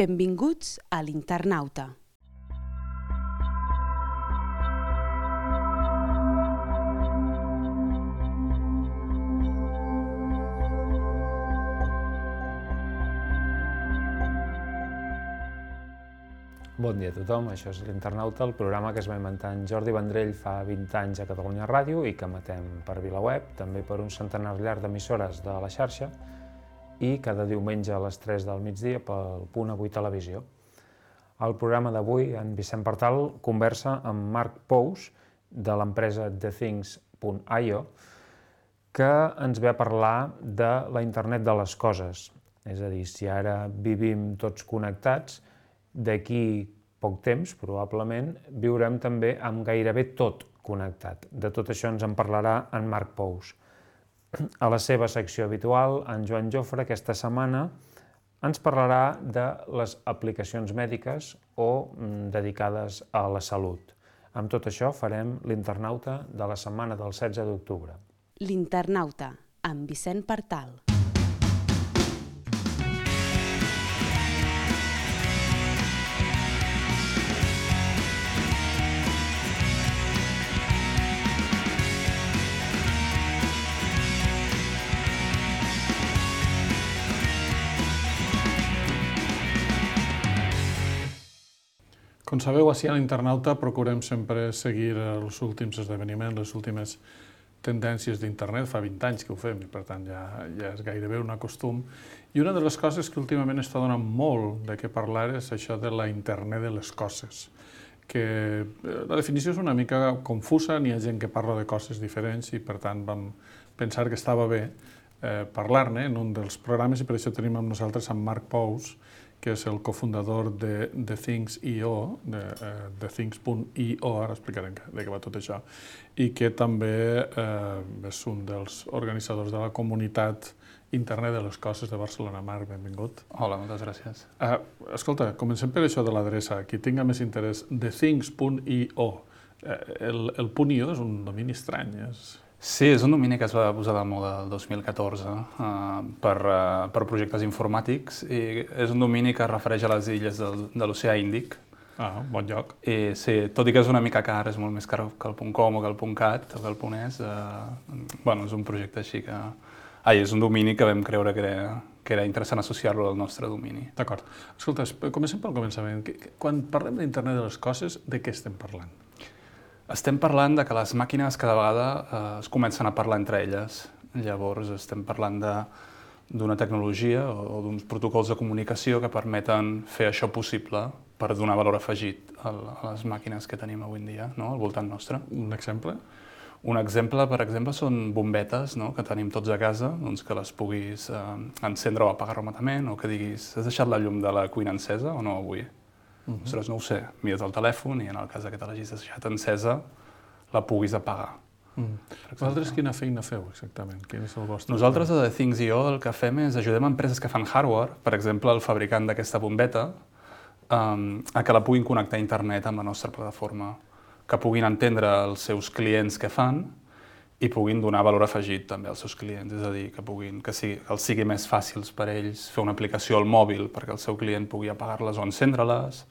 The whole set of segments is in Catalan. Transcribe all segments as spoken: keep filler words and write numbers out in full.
Benvinguts a l'Internauta. Bon dia a tothom, això és l'Internauta, el programa que es va inventar en Jordi Vendrell fa vint anys a Catalunya Ràdio i que emetem per VilaWeb, també per un centenar llarg d'emissores de la xarxa i cada diumenge a les tres del migdia pel Punt Avui Televisió. Al programa d'avui, en Vicent Partal conversa amb Marc Pous, de l'empresa The Things punt i o, que ens ve a parlar de la internet de les coses. És a dir, si ara vivim tots connectats, d'aquí poc temps, probablement, viurem també amb gairebé tot connectat. De tot això ens en parlarà en Marc Pous. A la seva secció habitual, en Joan Jofre, aquesta setmana, ens parlarà de les aplicacions mèdiques o dedicades a la salut. Amb tot això farem l'Internauta de la setmana del setze d'octubre. L'Internauta, amb Vicent Partal. Com sabeu, així a l'Internauta procurem sempre seguir els últims esdeveniments, les últimes tendències d'internet. Fa vint anys que ho fem i, per tant, ja, ja és gairebé un costum. I una de les coses que últimament està donant molt de què parlar és això de la internet de les coses. Que la definició és una mica confusa, n'hi ha gent que parla de coses diferents i, per tant, vam pensar que estava bé eh, parlar-ne en un dels programes i per això tenim amb nosaltres en Marc Pous, que és el cofundador de The Things punt i o, de uh, The Things punt i o, ara explicarem de què va tot això, i que també eh, és un dels organitzadors de la comunitat Internet de les Coses de Barcelona. Marc, benvingut. Hola, moltes gràcies. Uh, escolta, comencem per això de l'adreça. Qui tinga més interès, The Things punt i o. Uh, el, el punt i o és un domini estrany, és... Sí, és un domini que es va posar de moda el dos mil catorze uh, per, uh, per projectes informàtics i és un domini que es refereix a les illes del, de l'Oceà Índic. Ah, bon lloc. I sí, tot i que és una mica car, és molt més car que el .com o que el .cat o que el .es, uh, bueno, és un projecte així que... Ai, és un domini que vam creure que era, que era interessant associar-lo al nostre domini. D'acord. Escolta, comencem pel començament. Quan parlem d'internet de les coses, de què estem parlant? Estem parlant de que les màquines cada vegada eh, es comencen a parlar entre elles. Llavors estem parlant d'una tecnologia o, o d'uns protocols de comunicació que permeten fer això possible per donar valor afegit a, a les màquines que tenim avui en dia, no? Al voltant nostre. Un exemple? Un exemple, per exemple, són bombetes, no? Que tenim tots a casa, doncs que les puguis eh, encendre o apagar remotament, o que diguis, has deixat la llum de la cuina encesa o no avui? Uh -huh. Ostres, no ho sé, mires el telèfon i en el cas que te l'hagis deixat encesa, la puguis apagar. Uh -huh. Vosaltres quina feina feu exactament? Quin és el vostre? Nosaltres a The Things punt i o el que fem és ajudem a empreses que fan hardware, per exemple el fabricant d'aquesta bombeta, um, a que la puguin connectar a internet amb la nostra plataforma, que puguin entendre els seus clients què fan i puguin donar valor afegit també als seus clients, és a dir, que, puguin, que, sigui, que els sigui més fàcils per ells fer una aplicació al mòbil perquè el seu client pugui apagar-les o encendre-les,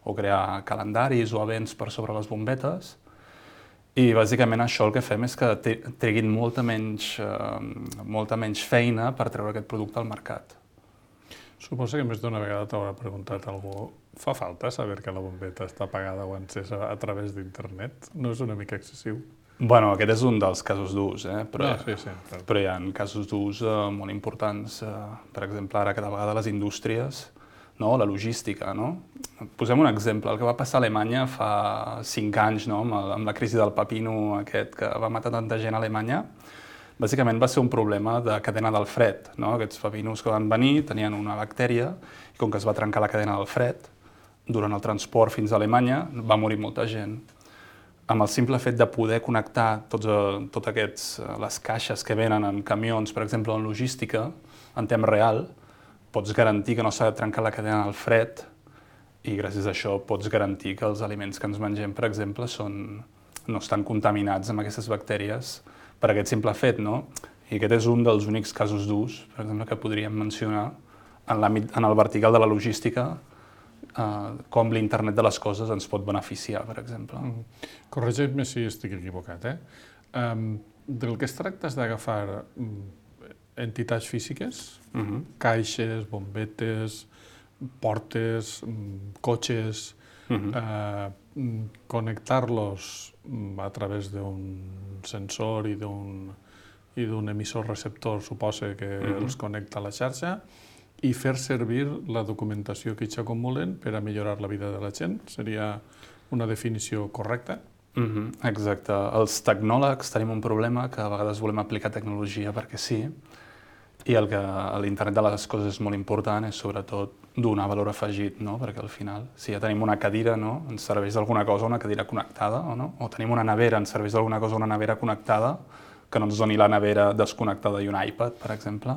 o crear calendaris o events per sobre les bombetes. I bàsicament això el que fem és que treguin molta menys, eh, molta menys feina per treure aquest producte al mercat. Suposo que més d'una vegada t'haurà preguntat algú, fa falta saber que la bombeta està apagada o encesa a través d'internet? No és una mica excessiu? Bueno, aquest és un dels casos d'ús, eh? però, no, sí, sí, però... però hi ha casos d'ús eh, molt importants. Eh, per exemple, ara cada vegada les indústries, no? La logística. No? Posem un exemple. El que va passar a Alemanya fa cinc anys, no? amb, el, amb la crisi del pepino aquest que va matar tanta gent a Alemanya, bàsicament va ser un problema de cadena del fred. No? Aquests pepinos que van venir tenien una bactèria i com que es va trencar la cadena del fred, durant el transport fins a Alemanya va morir molta gent. Amb el simple fet de poder connectar tots, tots aquests, les caixes que venen en camions, per exemple, en logística, en temps real, pots garantir que no s'ha de trencar la cadena del fred i gràcies a això pots garantir que els aliments que ens mengem, per exemple, són, no estan contaminats amb aquestes bactèries per aquest simple fet, no? I aquest és un dels únics casos d'ús, per exemple, que podríem mencionar en l'àmbit, en el vertical de la logística, eh, com l'internet de les coses ens pot beneficiar, per exemple. Mm. Corregeix-me si estic equivocat, eh? Um, del que es tracta és d'agafar entitats físiques, uh-huh. caixes, bombetes, portes, cotxes, uh-huh. eh, connectar-los a través d'un sensor i d'un i d'un emissor receptor, suposa que uh-huh. els connecta a la xarxa, i fer servir la documentació que ells acumulen per a millorar la vida de la gent. Seria una definició correcta? Uh-huh. Exacte. Els tecnòlegs tenim un problema que a vegades volem aplicar tecnologia perquè sí, i el que a l'internet de les coses és molt important és sobretot donar valor afegit, no? Perquè al final, si ja tenim una cadira, no? Ens serveix d'alguna cosa una cadira connectada, o no? O tenim una nevera, ens serveix d'alguna cosa una nevera connectada, que no ens doni la nevera desconnectada i un iPad, per exemple.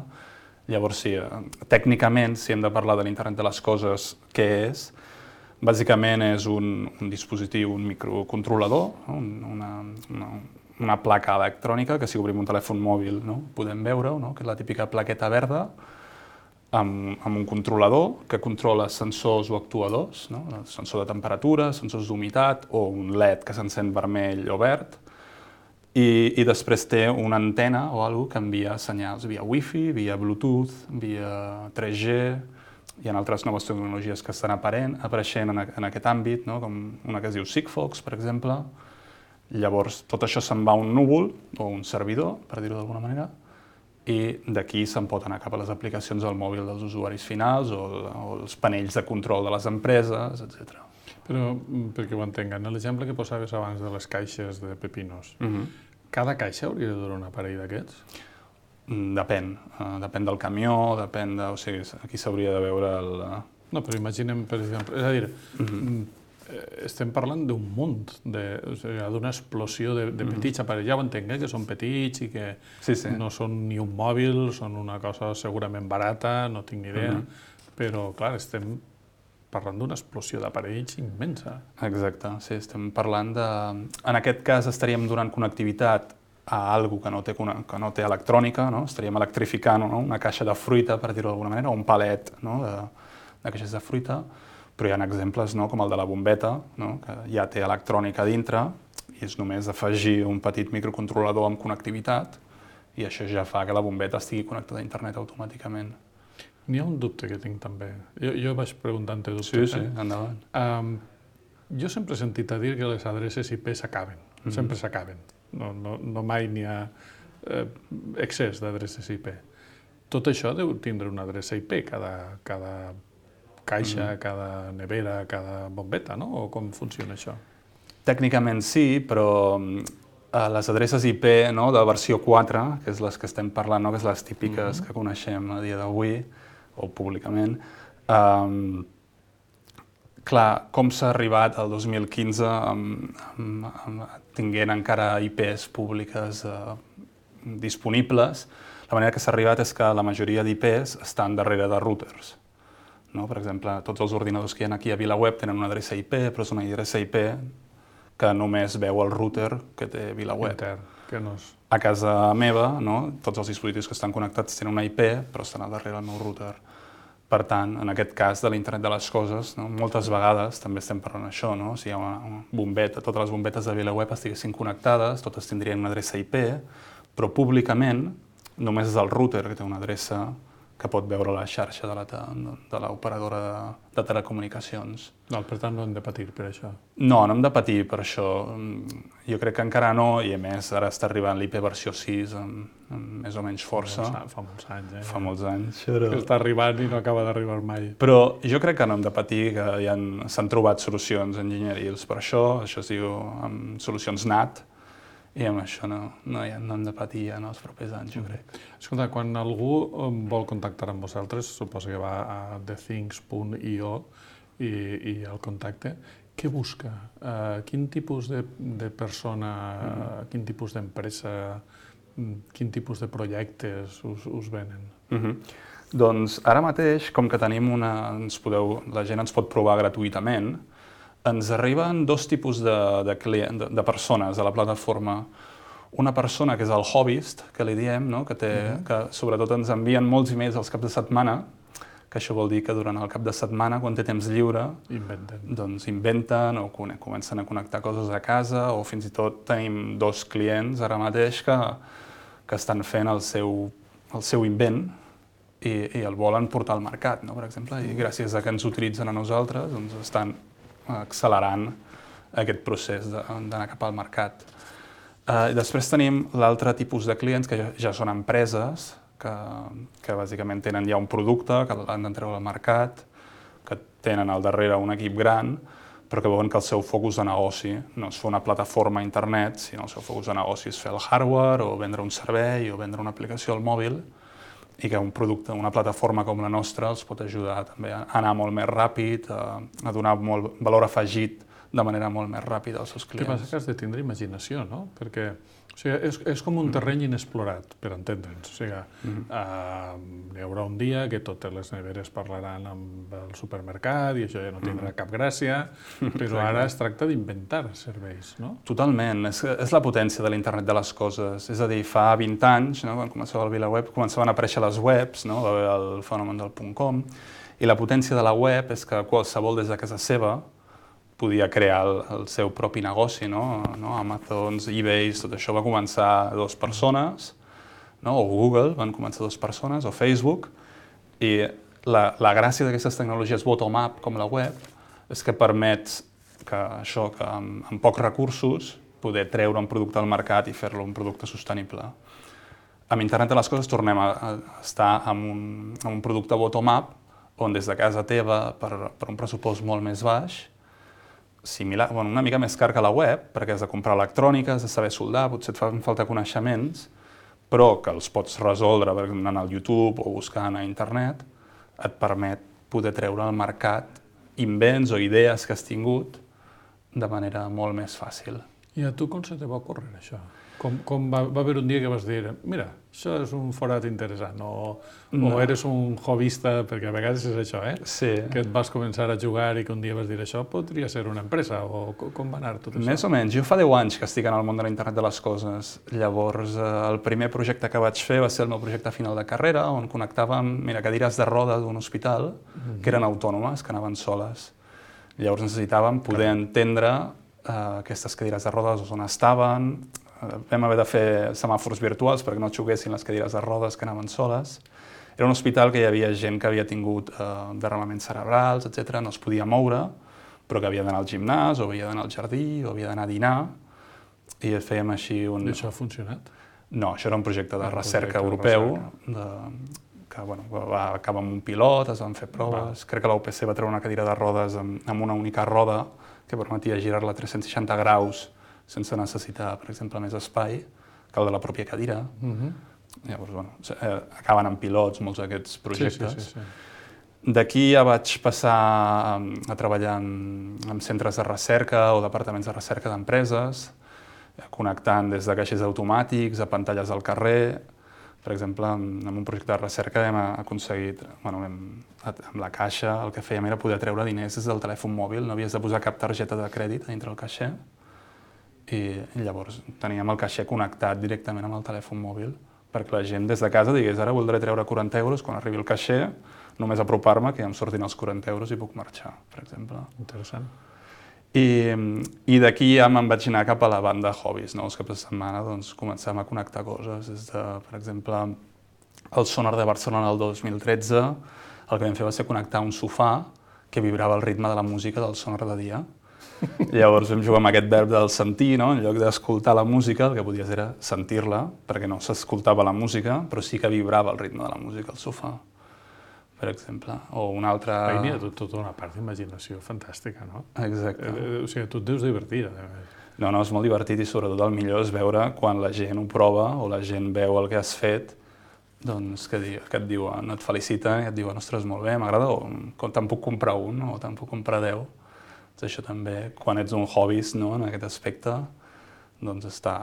Llavors, sí, tècnicament, si hem de parlar de l'internet de les coses, què és? Bàsicament és un, un dispositiu, un microcontrolador, no? una, una, una placa electrònica que si obrim un telèfon mòbil, no? Podem veure, no? Que és la típica plaqueta verda amb, amb un controlador que controla sensors o actuadors, no? El sensor de temperatura, sensors d'humitat o un L E D que s'encén vermell o verd, i, i després té una antena o alguna cosa que envia senyals via Wi-Fi, via Bluetooth, via tres G. Hi ha altres noves tecnologies que estan aparent, apareixent en, en aquest àmbit, no? Com una que es diu Sigfox, per exemple. Llavors, tot això se'n va a un núvol o un servidor, per dir-ho d'alguna manera, i d'aquí se'n pot anar cap a les aplicacions al mòbil dels usuaris finals o, o els panells de control de les empreses, etcètera. Però, perquè ho entenguin, l'exemple que posaves abans de les caixes de pepinos, uh-huh. cada caixa hauria de durar un aparell d'aquests? Depèn. Uh, depèn del camió, depèn de... O sigui, aquí s'hauria de veure el... No, però imaginem, per exemple... És a dir, uh-huh. estem parlant d'un munt, de, o sigui, d'una explosió de, de petits uh-huh. aparells. Ja ho entenc, eh, que són petits i que sí, sí. no són ni un mòbil, són una cosa segurament barata, no tinc ni idea, uh-huh. però, clar, estem parlant d'una explosió d'aparells immensa. Exacte, sí, estem parlant de... En aquest cas estaríem donant connectivitat a algo que no té, que no té electrònica, no? Estaríem electrificant, no? Una caixa de fruita, per dir-ho d'alguna manera, o un palet, no? de, de caixes de fruita, però hi ha exemples, no? Com el de la bombeta, no? Que ja té electrònica dintre i és només afegir un petit microcontrolador amb connectivitat i això ja fa que la bombeta estigui connectada a internet automàticament. N'hi ha un dubte que tinc també. Jo, jo vaig preguntant-te dubtes. Sí, sí, eh? endavant. Um, jo sempre he sentit a dir que les adreces I P s'acaben, mm-hmm. sempre s'acaben. No, no, no mai n'hi ha eh, excés d'adreces I P. Tot això deu tindre una adreça I P, cada, cada caixa, mm-hmm. cada nevera, cada bombeta, no? O com funciona això? Tècnicament sí, però eh, les adreces I P, no, de versió quatre, que és les que estem parlant, no, que és les típiques mm-hmm. que coneixem a dia d'avui, o públicament, um, clar, com s'ha arribat al dos mil quinze amb, amb, amb, tinguent encara I Ps públiques uh, disponibles, la manera que s'ha arribat és que la majoria d'I Ps estan darrere de routers. No? Per exemple, tots els ordinadors que hi ha aquí a VilaWeb tenen una adreça I P, però és una adreça I P que només veu el router que té VilaWeb. Intern, que no és... A casa meva, no? Tots els dispositius que estan connectats tenen una I P, però estan al darrere del meu router. Per tant, en aquest cas de l'internet de les coses, no? Moltes vegades també estem parlant això, no? Si hi ha una, una bombeta, totes les bombetes de VilaWeb estiguessin connectades, totes tindrien una adreça I P, però públicament només és el router que té una adreça que pot veure la xarxa de la, de l'operadora de, de telecomunicacions. No, per tant, no hem de patir per això. No, no hem de patir per això. Jo crec que encara no, i a més ara està arribant l'I P versió sis amb, amb més o menys força. Fa molts, fa molts anys, eh? Fa molts anys. Però... Que està arribant i no acaba d'arribar mai. Però jo crec que no hem de patir, que ja s'han trobat solucions enginyerils per això, això es diu amb solucions N A T, i amb això no, no, ja no hem de patir ja en els propers anys, jo crec. Escolta, quan algú vol contactar amb vosaltres, suposo que va a the things punt i o i, i el contacte, què busca? Uh, quin tipus de, de persona, mm. uh, quin tipus d'empresa, quin tipus de projectes us, us venen? Mm-hmm. Doncs ara mateix, com que tenim una... Ens podeu, la gent ens pot provar gratuïtament, ens arriben dos tipus de, de, client, de, de persones a la plataforma. Una persona que és el hobbyist, que li diem, no? que, té, uh-huh. que sobretot ens envien molts emails als caps de setmana, que això vol dir que durant el cap de setmana, quan té temps lliure, inventen, doncs inventen o comencen a connectar coses a casa, o fins i tot tenim dos clients ara mateix que, que estan fent el seu, el seu invent i, i el volen portar al mercat, no? Per exemple, i gràcies a que ens utilitzen a nosaltres, doncs estan accelerant aquest procés d'anar cap al mercat. Uh, després tenim l'altre tipus de clients, que ja, ja són empreses, que, que bàsicament tenen ja un producte, que l'han d'entreure al mercat, que tenen al darrere un equip gran, però que veuen que el seu focus de negoci no és fer una plataforma a internet, sinó el seu focus de negoci és fer el hardware, o vendre un servei, o vendre una aplicació al mòbil, i que un producte, una plataforma com la nostra els pot ajudar també a anar molt més ràpid, a, a donar molt valor afegit de manera molt més ràpida als seus clients. El que passa que has de tindre imaginació, no? Perquè o sigui, és, és com un terreny inexplorat, per entendre'ns. O sigui, mm. uh, hi haurà un dia que totes les neveres parlaran amb el supermercat i això ja no tindrà mm. cap gràcia, però ara es tracta d'inventar serveis, no? Totalment. És, és la potència de l'internet de les coses. És a dir, fa vint anys, no, quan començava el VilaWeb, començaven a aparèixer les webs, no? Va haver el fenomen del .com, i la potència de la web és que qualsevol des de casa seva podia crear el, el seu propi negoci, no? No? Amazons, eBay, tot això va començar dues persones, no? O Google van començar dues persones, o Facebook, i la, la gràcia d'aquestes tecnologies bottom-up, com la web, és que permet que això, que amb, amb pocs recursos, poder treure un producte al mercat i fer-lo un producte sostenible. Amb internet de les coses tornem a, a estar amb un, amb un producte bottom-up, on des de casa teva, per, per un pressupost molt més baix, similar, bueno, una mica més car que la web, perquè has de comprar electrònica, has de saber soldar, potser et fan falta coneixements, però que els pots resoldre anant al YouTube o buscant a internet, et permet poder treure al mercat invents o idees que has tingut de manera molt més fàcil. I a tu com se te va ocórrer això? Com, com va, va haver un dia que vas dir, mira, això és un forat interessant, o, no. o eres un hobbyista, perquè a vegades és això, eh? Sí. Que et vas començar a jugar i que un dia vas dir, això podria ser una empresa, o com va anar tot això? Més o menys. Jo fa deu anys que estic en el món de l'internet de les coses. Llavors, eh, el primer projecte que vaig fer va ser el meu projecte final de carrera, on connectàvem, mira, cadires de roda d'un hospital, mm-hmm. que eren autònomes, que anaven soles. Llavors necessitàvem poder Caram. entendre eh, aquestes cadires de rodes on estaven. Vam haver de fer semàfors virtuals perquè no xoquessin les cadires de rodes que anaven soles. Era un hospital que hi havia gent que havia tingut eh, derramaments cerebrals, etcètera, no es podia moure, però que havia d'anar al gimnàs, o havia d'anar al jardí, o havia d'anar a dinar, i fèiem així un... I això ha funcionat? No, això era un projecte de un recerca projecte europeu, de recerca. De, que bueno, va acabar amb un pilot, es van fer proves. Va. Crec que la U P C va treure una cadira de rodes amb, amb una única roda que permetia girar-la a tres-cents seixanta graus sense necessitar, per exemple, més espai que el de la pròpia cadira. Uh-huh. Llavors, bueno, eh, acaben amb pilots molts d'aquests projectes. Sí, sí, sí, sí. D'aquí ja vaig passar a, a treballar en, en centres de recerca o departaments de recerca d'empreses, connectant des de caixers automàtics a pantalles al carrer. Per exemple, en un projecte de recerca hem aconseguit, bueno, hem, amb la caixa, el que fèiem era poder treure diners des del telèfon mòbil, no havies de posar cap targeta de crèdit dintre el caixer, i llavors teníem el caixer connectat directament amb el telèfon mòbil, perquè la gent des de casa digués, ara voldré treure quaranta euros, quan arribi el caixer, només apropar-me que ja em sortin els quaranta euros i puc marxar, per exemple. Interessant. I, i d'aquí ja me'n vaig anar cap a la banda hobbies, no? Els caps de setmana doncs, començàvem a connectar coses, des de, per exemple, el Sonar de Barcelona el dos mil tretze, el que vam fer va ser connectar un sofà que vibrava al ritme de la música del Sonar de dia. Llavors vam jugar amb aquest verb del sentir, no? En lloc d'escoltar la música, el que podies era sentir-la, perquè no s'escoltava la música, però sí que vibrava el ritme de la música al sofà, per exemple. O una altra... Ahí n'hi ha tot, tota una part d'imaginació fantàstica, no? Exacte. Eh, o sigui, tu et deus divertir. No, no, és molt divertit i sobretot el millor és veure quan la gent ho prova o la gent veu el que has fet, doncs que, di, que et diuen, et feliciten i et diuen, ostres, molt bé, m'agrada, o te'n puc comprar un, o te'n puc comprar deu. Això també, quan ets un hobbyist, no, en aquest aspecte, doncs està,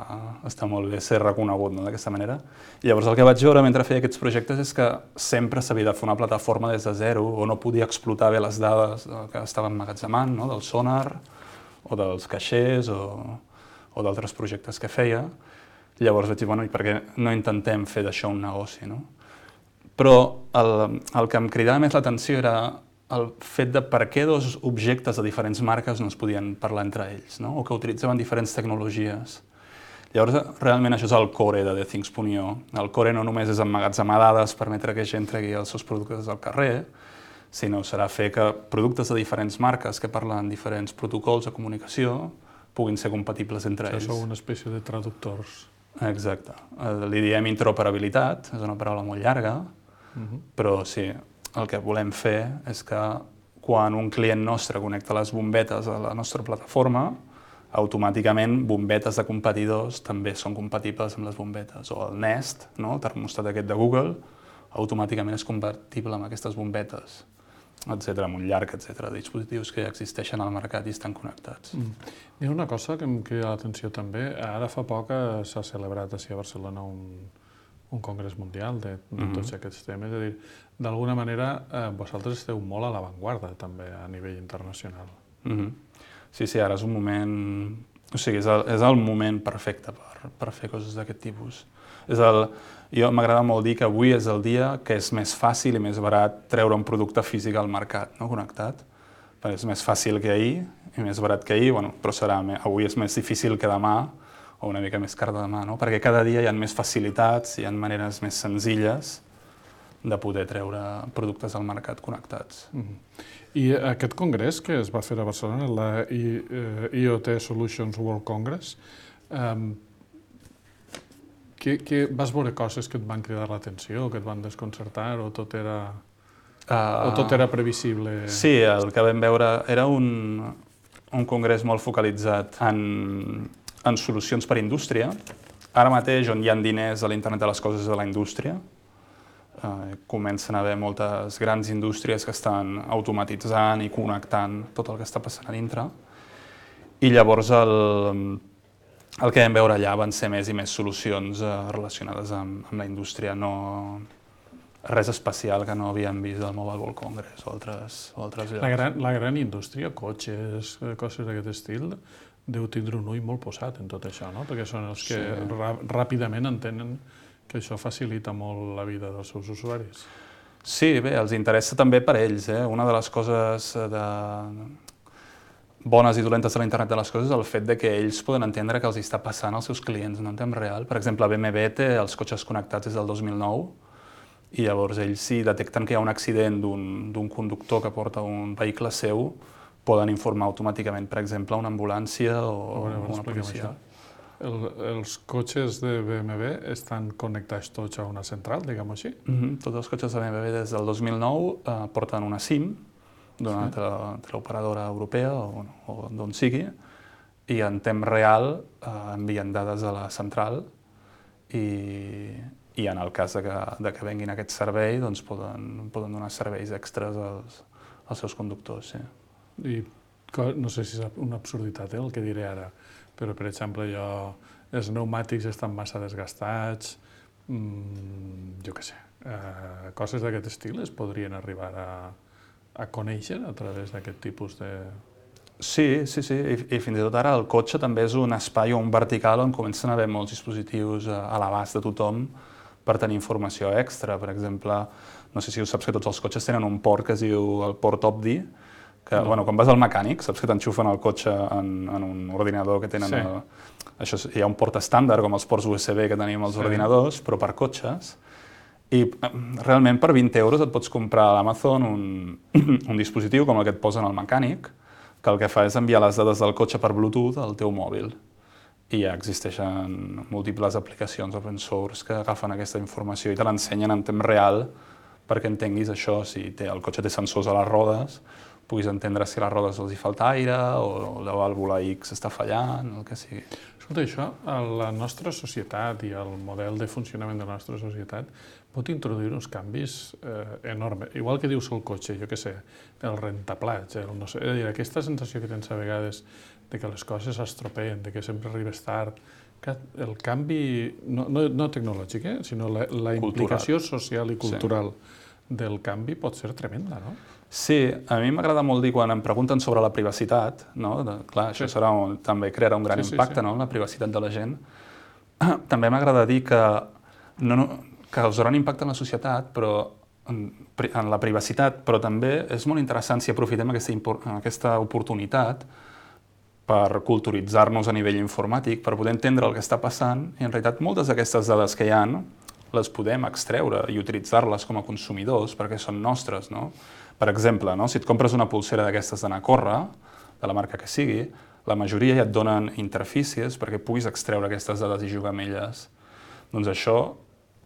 està molt bé ser reconegut, no, d'aquesta manera. I llavors el que vaig veure mentre feia aquests projectes és que sempre s'havia de fer una plataforma des de zero, o no podia explotar bé les dades que estaven emmagatzemant, no, del sonar, o dels caixers, o, o d'altres projectes que feia. Llavors vaig dir, bueno, i per què no intentem fer d'això un negoci, no? Però el, el que em cridava més l'atenció era el fet de per què dos objectes de diferents marques no es podien parlar entre ells, no? O que utilitzaven diferents tecnologies. Llavors, realment això és el core de The Things punt i o. El core no només és emmagatzemar dades, permetre que gent tregui els seus productes al carrer, sinó serà fer que productes de diferents marques que parlen diferents protocols de comunicació puguin ser compatibles entre ells. Això sou una espècie de traductors. Exacte. Li diem interoperabilitat, és una paraula molt llarga, uh-huh. però sí, el que volem fer és que quan un client nostre connecta les bombetes a la nostra plataforma, automàticament bombetes de competidors també són compatibles amb les bombetes. O el Nest, no? El termòstat aquest de Google, automàticament és compatible amb aquestes bombetes, etcètera, amb un llarg, etcètera, de dispositius que ja existeixen al mercat i estan connectats. Mm. Hi ha una cosa que em crida l'atenció també. Ara fa poc s'ha celebrat a Barcelona un, un congrés mundial de, de mm-hmm. tots aquests temes. És a dir, d'alguna manera, eh, vosaltres esteu molt a l'avantguarda també a nivell internacional. Mm-hmm. Sí, sí, ara és un moment... O sigui, és el, és el moment perfecte per, per fer coses d'aquest tipus. És el... Jo m'agrada molt dir que avui és el dia que és més fàcil i més barat treure un producte físic al mercat, no connectat. Perquè és més fàcil que ahir i més barat que ahir, bueno, però serà, avui és més difícil que demà o una mica més car de demà, no? Perquè cada dia hi ha més facilitats, hi ha maneres més senzilles de poder treure productes al mercat connectats. Mm-hmm. I aquest congrés que es va fer a Barcelona, la I O T Solutions World Congress, um, Que, que vas veure coses que et van cridar l'atenció, que et van desconcertar, o tot era, uh, o tot era previsible? Sí, el que vam veure era un, un congrés molt focalitzat en, en solucions per a indústria. Ara mateix, on hi ha diners a l'internet de les coses de la indústria, uh, comencen a haver moltes grans indústries que estan automatitzant i connectant tot el que està passant a dintre. I llavors el... El que vam veure allà van ser més i més solucions eh, relacionades amb, amb la indústria, no res especial que no havíem vist al Mobile World Congress o altres, o altres llocs. La gran, la gran indústria, cotxes, coses d'aquest estil, deu tindre un ull molt posat en tot això, no? Perquè són els que sí. ràpidament entenen que això facilita molt la vida dels seus usuaris. Sí, bé, els interessa també per ells. Eh? Una de les coses de... bones i dolentes de l'internet de les coses és el fet de que ells poden entendre que els està passant als seus clients no en temps real. Per exemple, B M W té els cotxes connectats des del dos mil nou i llavors ells, si detecten que hi ha un accident d'un conductor que porta un vehicle seu, poden informar automàticament, per exemple, una ambulància o, o una policia. El, els cotxes de B M W estan connectats tots a una central, diguem-ho així? Mm-hmm. Tots els cotxes de B M W des del dos mil nou eh, porten una SIM d'una sí. teleoperadora europea o, o d'on sigui, i en temps real eh, envien dades a la central i, i en el cas de que, de que venguin aquest servei doncs poden, poden donar serveis extras als, als seus conductors. Sí. I no sé si és una absurditat eh, el que diré ara, però per exemple jo, els pneumàtics estan massa desgastats, mmm, jo què sé, eh, coses d'aquest estil es podrien arribar a a conèixer a través d'aquest tipus de... Sí, sí, sí, I, i fins i tot ara el cotxe també és un espai o un vertical on comencen a haver molts dispositius a l'abast de tothom per tenir informació extra. Per exemple, no sé si ho saps que tots els cotxes tenen un port que es diu el port Opdi, que no. bueno, quan vas al mecànic saps que t'enxufen el cotxe en, en un ordinador que tenen... Sí. El, això, hi ha un port estàndard com els ports U S B que tenim als sí. ordinadors, però per cotxes. I realment per vint euros et pots comprar a l'Amazon un, un dispositiu com el que et posen al mecànic, que el que fa és enviar les dades del cotxe per Bluetooth al teu mòbil. I ja existeixen múltiples aplicacions open source que agafen aquesta informació i te l'ensenyen en temps real perquè entenguis això, si té, el cotxe té sensors a les rodes, puguis entendre si a les rodes els hi falta aire o la vàlvula X està fallant, el que sigui. Escolta, això, a la nostra societat i el model de funcionament de la nostra societat pot introduir uns canvis eh, enormes. Igual que dius el cotxe, jo què sé, el rentaplats, el no sé, és a dir, aquesta sensació que tens a vegades de que les coses s'estropeen, de que sempre arribes tard, que el canvi, no, no, no tecnològic, eh, sinó la, la implicació social i cultural sí. del canvi pot ser tremenda, no? Sí, a mi m'agrada molt dir quan em pregunten sobre la privacitat, no? De, clar, això sí. serà un, també crearà un gran sí, impacte, sí, sí. no? La privacitat de la gent. També m'agrada dir que, no, no, causaran impacte en la societat, però en, en la privacitat, però també és molt interessant si aprofitem aquesta, aquesta oportunitat per culturitzar-nos a nivell informàtic, per poder entendre el que està passant, i en realitat moltes d'aquestes dades que hi ha les podem extreure i utilitzar-les com a consumidors perquè són nostres, no? Per exemple, no? Si et compres una pulsera d'aquestes d'anar a córrer, de la marca que sigui, la majoria ja et donen interfícies perquè puguis extreure aquestes dades i jugar amb elles. Doncs això,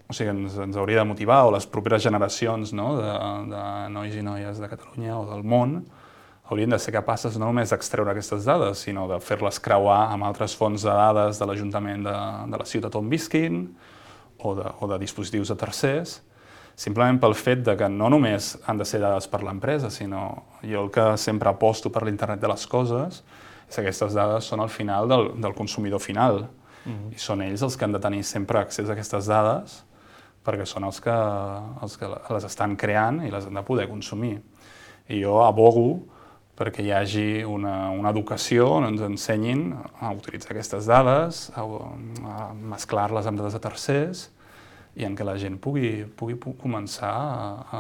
o sigui, ens, ens hauria de motivar, o les properes generacions, no? de, de nois i noies de Catalunya o del món, haurien de ser capaces no només d'extreure aquestes dades, sinó de fer-les creuar amb altres fonts de dades de l'Ajuntament de, de la ciutat on visquin o de, o de dispositius de tercers, simplement pel fet de que no només han de ser dades per l'empresa, sinó jo el que sempre aposto per l'internet de les coses és que aquestes dades són al final del, del consumidor final. Mm-hmm. I són ells els que han de tenir sempre accés a aquestes dades perquè són els que, els que les estan creant i les han de poder consumir. I jo abogo perquè hi hagi una, una educació on ens ensenyin a utilitzar aquestes dades, a, a mesclar-les amb dades de tercers i en què la gent pugui, pugui començar a, a,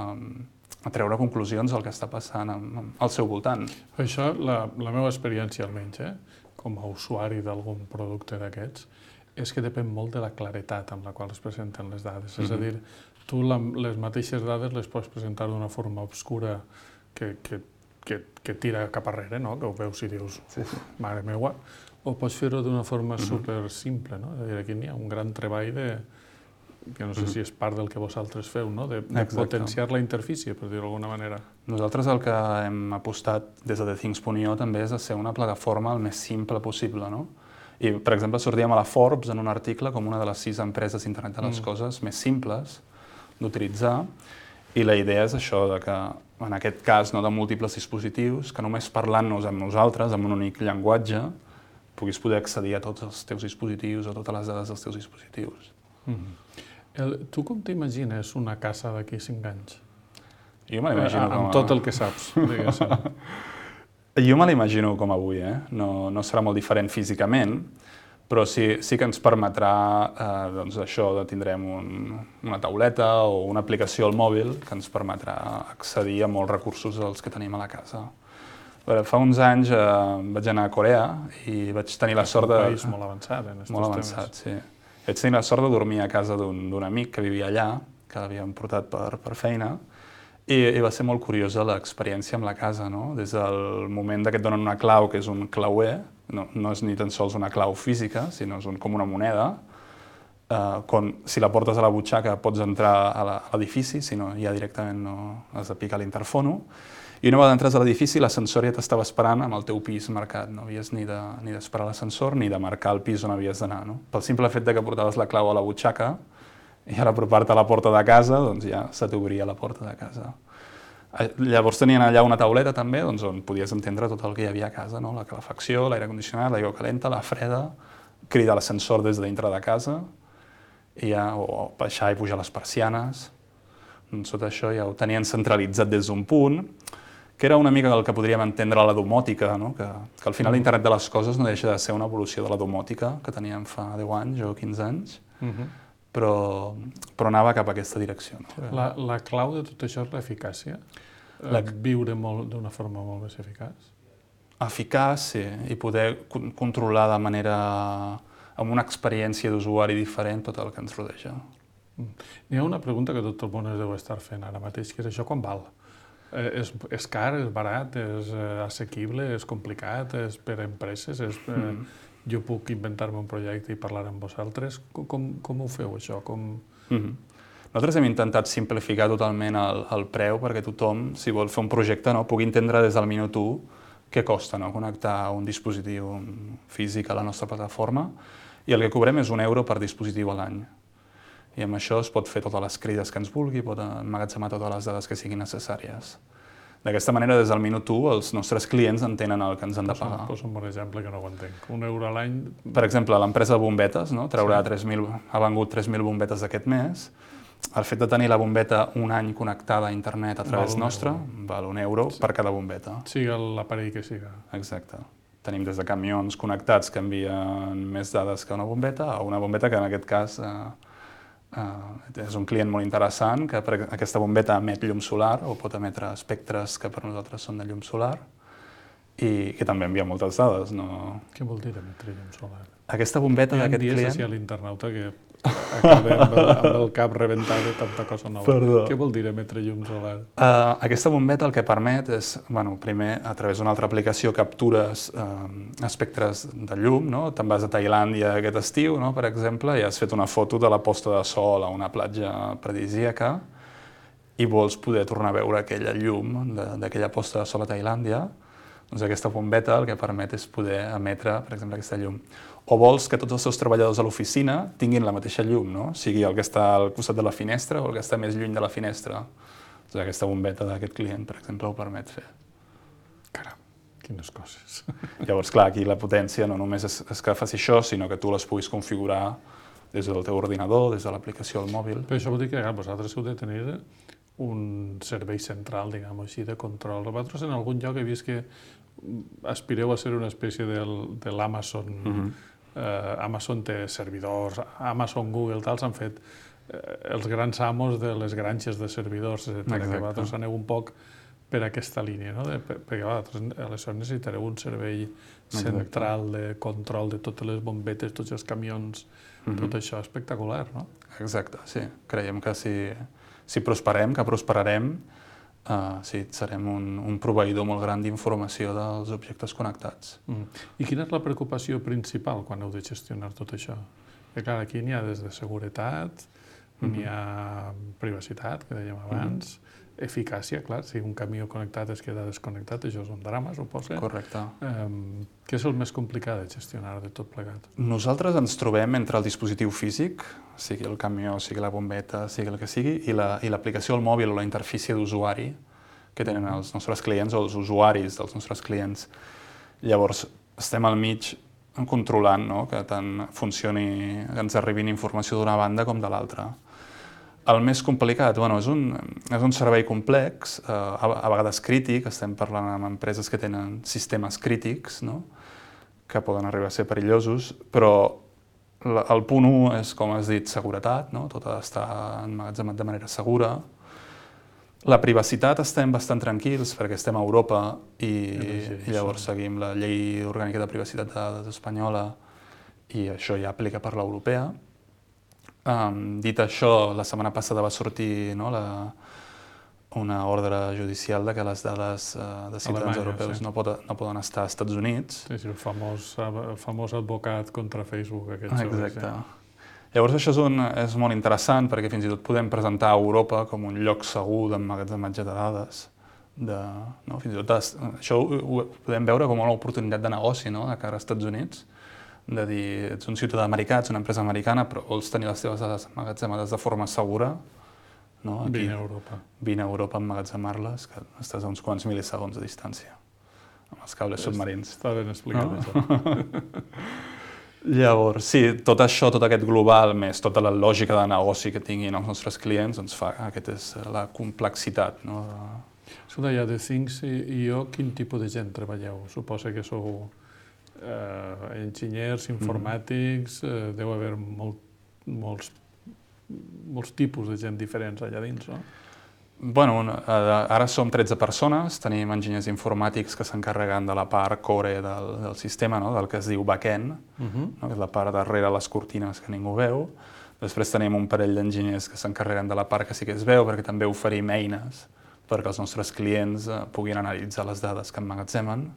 a treure conclusions del que està passant al seu voltant. Això, la, la meva experiència almenys, eh, com a usuari d'algun producte d'aquests, és que depèn molt de la claretat amb la qual es presenten les dades. Mm-hmm. És a dir, tu la, les mateixes dades les pots presentar d'una forma obscura que, que Que, que tira cap arrere, no? Que ho veus i dius, uf, mare meua, o pots fer-ho d'una forma uh-huh. super simple, no? És a dir, aquí n'hi ha un gran treball de, que no sé uh-huh. si és part del que vosaltres feu, no? De, de potenciar la interfície, per dir-ho d'alguna manera. Nosaltres el que hem apostat des de The Things punt i o també és de ser una plataforma el més simple possible, no? I, per exemple, sortíem a la Forbes en un article com una de les sis empreses d'internet de les mm. coses més simples d'utilitzar, i la idea és això, de que en aquest cas no de múltiples dispositius, que només parlant-nos amb nosaltres, amb un únic llenguatge, puguis poder accedir a tots els teus dispositius o totes les dades dels teus dispositius. Mm-hmm. El, tu com t'imagines una casa d'aquí cinc anys? Jo me l'imagino com a... Amb tot el que saps, diguéssim. Jo me l'imagino com avui, eh? No, no serà molt diferent físicament, però sí, sí que ens permetrà, eh, doncs això, de tindrem un, una tauleta o una aplicació al mòbil que ens permetrà accedir a molts recursos dels que tenim a la casa. Veure, fa uns anys eh, vaig anar a Corea i vaig tenir la sort de... És un país molt avançat en aquests molt avançat, temes. Sí. Vaig tenir la sort de dormir a casa d'un amic que vivia allà, que l'havíem portat per, per feina, i, i va ser molt curiosa l'experiència amb la casa, no? Des del moment que et donen una clau, que és un clauer, no, no és ni tan sols una clau física, sinó és un, com una moneda, eh, quan, si la portes a la butxaca pots entrar a l'edifici, si no ja directament no has de picar l'interfono, i una vegada entres a l'edifici l'ascensor ja t'estava esperant amb el teu pis marcat, no havies ni de, ni d'esperar l'ascensor ni de marcar el pis on havies d'anar, no? Pel simple fet de que portaves la clau a la butxaca i a l'apropar-te a la porta de casa, doncs ja se t'obria la porta de casa. Llavors tenien allà una tauleta també doncs, on podies entendre tot el que hi havia a casa, no? La calefacció, l'aire condicionat, l'aigua calenta, la freda, cridar l'ascensor des de dintre de casa, i ja, o baixar i pujar les persianes. Doncs tot això ja ho tenien centralitzat des d'un punt, que era una mica el que podríem entendre la domòtica, no? que, que al final l'internet de les coses no deixa de ser una evolució de la domòtica que teníem fa deu anys o quinze anys, uh-huh. però, però anava cap a aquesta direcció. No? La, la clau de tot això és l'eficàcia? La... Viure d'una forma molt més eficaç? Eficaç, sí, i poder controlar de manera, amb una experiència d'usuari diferent tot el que ens rodeja. N'hi ha una pregunta que tot el món es deu estar fent ara mateix, que és això quan val? Eh, és, és car, és barat, és eh, assequible, és complicat, és per a empreses, és, eh, mm. jo puc inventar-me un projecte i parlar amb vosaltres. Com, com ho feu, això? Com... Mm-hmm. Nosaltres hem intentat simplificar totalment el, el preu perquè tothom, si vol fer un projecte, no, pugui entendre des del minut u què costa, no, connectar un dispositiu físic a la nostra plataforma, i el que cobrem és un euro per dispositiu a l'any. I amb això es pot fer totes les crides que ens vulgui, pot emmagatzemar totes les dades que siguin necessàries. D'aquesta manera, des del minut u, els nostres clients entenen el que ens han de pagar. Posa un bon exemple que no ho entenc. Un euro a l'any... Per exemple, l'empresa de bombetes, no, traurà sí. tres mil, ha vengut tres mil bombetes aquest mes. El fet de tenir la bombeta un any connectada a internet a través nostre val un euro sí. per cada bombeta. Siga l'aparell que siga. Exacte. Tenim des de camions connectats que envien més dades que una bombeta, a una bombeta que en aquest cas eh, Uh, és un client molt interessant, que per aquesta bombeta emet llum solar, o pot emetre espectres que per nosaltres són de llum solar, i que també envia moltes dades. No... Què vol dir emetre llum solar? Aquesta bombeta d'aquest client... Hi ha dies així a l'internauta que acabem amb el, amb el cap rebentat de tanta cosa nova. Perdó. Què vol dir emetre llum solar? Uh, aquesta bombeta el que permet és, bueno, primer, a través d'una altra aplicació, captures uh, espectres de llum, no? Te'n vas a Tailàndia aquest estiu, no? Per exemple, i has fet una foto de la posta de sol a una platja paradisíaca i vols poder tornar a veure aquella llum d'aquella posta de sol a Tailàndia, doncs aquesta bombeta el que permet és poder emetre, per exemple, aquesta llum. O vols que tots els seus treballadors a l'oficina tinguin la mateixa llum, no? Sigui el que està al costat de la finestra o el que està més lluny de la finestra. Doncs aquesta bombeta d'aquest client, per exemple, ho permet fer. Caram, quines coses. Llavors, clar, aquí la potència no només és, és que faci això, sinó que tu les puguis configurar des del teu ordinador, des de l'aplicació al mòbil. Però això vol dir que vosaltres heu de tenir un servei central, diguem així, de control. Vosaltres en algun lloc he vist que aspireu a ser una espècie del, de l'Amazon. Mm-hmm. eh, Amazon té servidors, Amazon, Google, tal, s'han fet eh, els grans amos de les granges de servidors, etcètera. Que vosaltres aneu un poc per aquesta línia, no? De, perquè vosaltres aleshores necessitareu un servei central de control de totes les bombetes, tots els camions, mm-hmm. tot això espectacular, no? Exacte, sí. Creiem que si, si prosperem, que prosperarem, Uh, sí, serem un, un proveïdor molt gran d'informació dels objectes connectats. Mm. I quina és la preocupació principal quan heu de gestionar tot això? Perquè, clar, aquí n'hi ha des de seguretat, mm-hmm. n'hi ha privacitat, que dèiem abans, mm-hmm. eficàcia, clar, si un camió connectat es queda desconnectat, això és un drama, suposa. Correcte. Um, què és el més complicat de gestionar de tot plegat? Nosaltres ens trobem entre el dispositiu físic, sigui el camió, sigui la bombeta, sigui el que sigui, i l'aplicació la, al mòbil o la interfície d'usuari que tenen els nostres clients o els usuaris dels nostres clients. Llavors, estem al mig controlant, no? Que tant funcioni, que ens arribin informació d'una banda com de l'altra. El més complicat, bueno, és, un, és un servei complex, eh, a, a vegades crític, estem parlant amb empreses que tenen sistemes crítics, no? Que poden arribar a ser perillosos, però la, el punt u és, com has dit, seguretat, no? Tot ha d'estar emmagatzemat de manera segura. La privacitat estem bastant tranquils perquè estem a Europa i, i llavors seguim la llei orgànica de privacitat de dades espanyola i això ja aplica per l'europea. Um, dit això, la setmana passada va sortir, no, la, una ordre judicial de que les dades uh, de ciutadans Alemanya, europeus sí. no, pot, no poden estar als Estats Units. Sí, sí, el famós, el famós advocat contra Facebook. Aquest Exacte. Sí. Llavors això és, un, és molt interessant perquè fins i tot podem presentar a Europa com un lloc segur d'emmagatzematge de dades. De, no? Fins i tot això ho, ho podem veure com una oportunitat de negoci, no? De cara als Estats Units. De dir, ets un ciutadà americà, ets una empresa americana, però vols tenir les teves dades emmagatzemades de forma segura, no? Aquí, vine a Europa. Vine a Europa a emmagatzemar-les, que estàs a uns quants mil·lisegons de distància, amb els cables submarins. Està ben explicat, no? Això. Llavors, sí, tot això, tot aquest global, més tota la lògica de negoci que tinguin els nostres clients, ens fa, aquesta és la complexitat, no? Escolta, ja de Things i jo, quin tipus de gent treballeu? Suposa que sou eh, enginyers, informàtics, eh, deu haver molt, molts, molts tipus de gent diferents allà dins, no? Bueno, ara som tretze persones, tenim enginyers informàtics que s'encarreguen de la part core del, del sistema, no? Del que es diu back-end, uh-huh. no? Que és la part darrere les cortines que ningú veu. Després tenim un parell d'enginyers que s'encarreguen de la part que sí que es veu, perquè també oferim eines perquè els nostres clients eh, puguin analitzar les dades que emmagatzemen.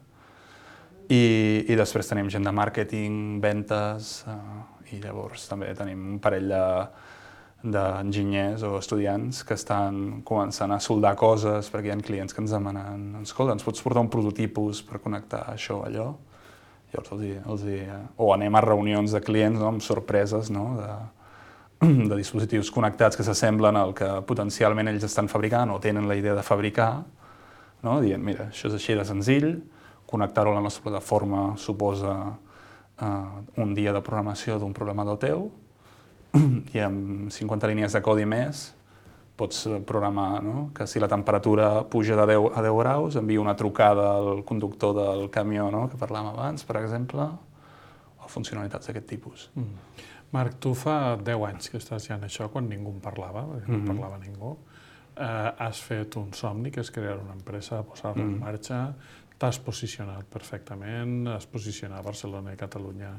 I, i després tenim gent de màrqueting, ventes, eh, i llavors també tenim un parell de d'enginyers o estudiants que estan començant a soldar coses perquè hi ha clients que ens demanen escolta, ens pots portar un prototipus per connectar això o allò? Llavors els hi, els hi, o anem a reunions de clients, no? Amb sorpreses, no? de, de dispositius connectats que s'assemblen al que potencialment ells estan fabricant o tenen la idea de fabricar, no? Dient, mira, això és així de senzill, connectar-ho a la nostra plataforma suposa uh, un dia de programació d'un programador teu, i amb cinquanta línies de codi més pots programar, no? Que si la temperatura puja de deu a deu graus, envia una trucada al conductor del camió, no? Que parlàvem abans, per exemple, o funcionalitats d'aquest tipus. Mm. Marc, tu fa deu anys que estàs ja en això, quan ningú en parlava, perquè no Mhm. parlava ningú. Eh, has fet un somni, que és crear una empresa, posar-la en Mhm. marxa, t'has posicionat perfectament, has posicionat Barcelona i Catalunya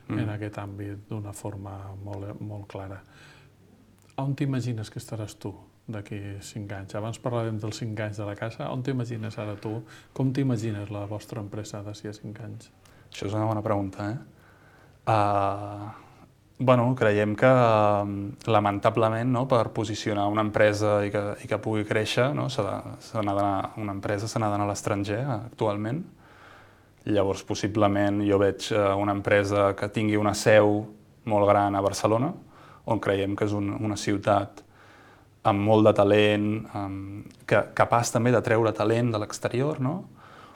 Mhm. en aquest àmbit d'una forma molt, molt clara. On t'imagines que estaràs tu d'aquí cinc anys? Abans parlàvem dels cinc anys de la casa. On t'imagines ara tu? Com t'imagines la vostra empresa d'ací a cinc anys? Això és una bona pregunta, eh? Uh, bueno, creiem que, um, lamentablement, no, per posicionar una empresa i que, i que pugui créixer, no, s'ha de- s'ha d'anar- una empresa s'ha d'anar a l'estranger, actualment. Llavors, possiblement, jo veig uh, una empresa que tingui una seu molt gran a Barcelona, on creiem que és un, una ciutat amb molt de talent, amb, que, capaç també de treure talent de l'exterior, no?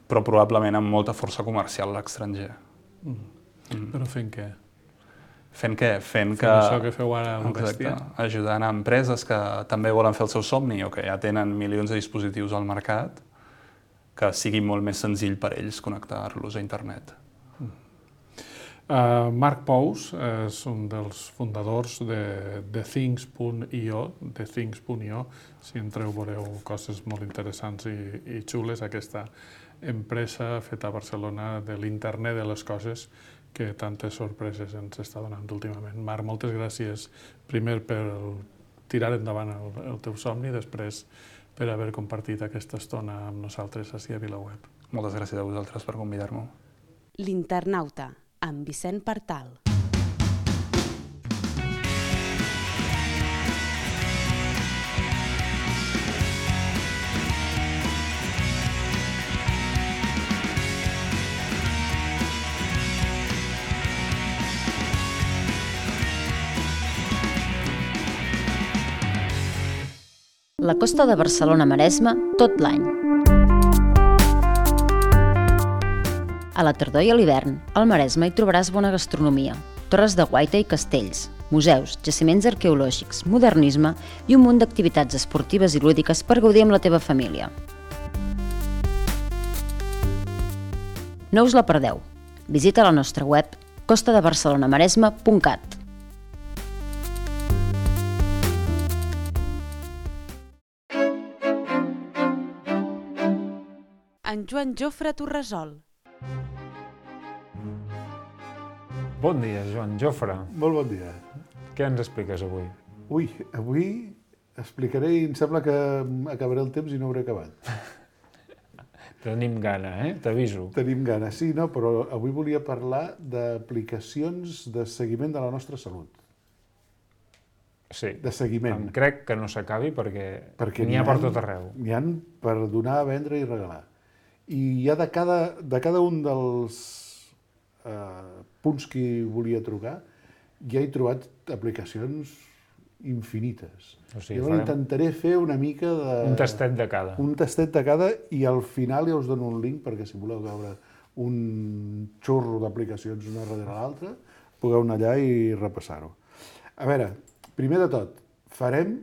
Però probablement amb molta força comercial a l'estranger. Mm. Però fent què? Fent què? Fent, Fent que... això que feu ara al Exacte, Bèstia? ajudant a empreses que també volen fer el seu somni o que ja tenen milions de dispositius al mercat, que sigui molt més senzill per ells connectar-los a internet. Uh, Marc Pous és un dels fundadors de The Things punt i o, The Things punt i o. Si entreu veureu coses molt interessants i, i xules, aquesta empresa feta a Barcelona de l'internet de les coses que tantes sorpreses ens està donant últimament. Marc, moltes gràcies primer per tirar endavant el, el teu somni, després per haver compartit aquesta estona amb nosaltres ací a VilaWeb. Moltes gràcies a vosaltres per convidar-me. L'Internauta, amb Vicent Partal. La costa de Barcelona-Maresme tot l'any. A la tardor i a l'hivern, al Maresme hi trobaràs bona gastronomia, torres de guaita i castells, museus, jaciments arqueològics, modernisme i un munt d'activitats esportives i lúdiques per gaudir amb la teva família. No us la perdeu. Visita la nostra web costa de barcelona maresme punt cat. En Joan Jofre Torresol. Bon dia, Joan Jofre. Molt bon dia. Què ens expliques avui? Ui, avui explicaré i em sembla que acabaré el temps i no hauré acabat. Tenim gana, eh? T'aviso. Tenim ganes, sí, no? Però avui volia parlar d'aplicacions de seguiment de la nostra salut. Sí. De seguiment. Em crec que no s'acabi perquè, Perquè n'hi ha per tot arreu. N'hi ha per donar, vendre i regalar. I hi ha de cada, de cada un dels eh, punts que volia trucar, ja he trobat aplicacions infinites. O sigui, Jo farem intentaré fer una mica de... un tastet de cada. Un tastet de cada i al final ja us dono un link perquè si voleu veure un xorro d'aplicacions una darrere l'altra, pugueu anar allà i repassar-ho. A veure, primer de tot, farem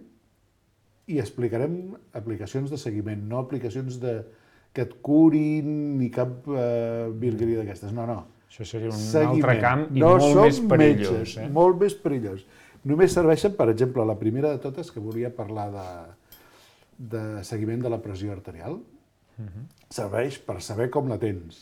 i explicarem aplicacions de seguiment, no aplicacions de, que et curin ni cap eh, virgueria d'aquestes. No, no. Això seria un Seguiment. altre camp i no molt més som perillós. metges, Eh? molt més perillós. Només serveixen, per exemple, la primera de totes, que volia parlar de, de seguiment de la pressió arterial, Uh-huh. serveix per saber com la tens.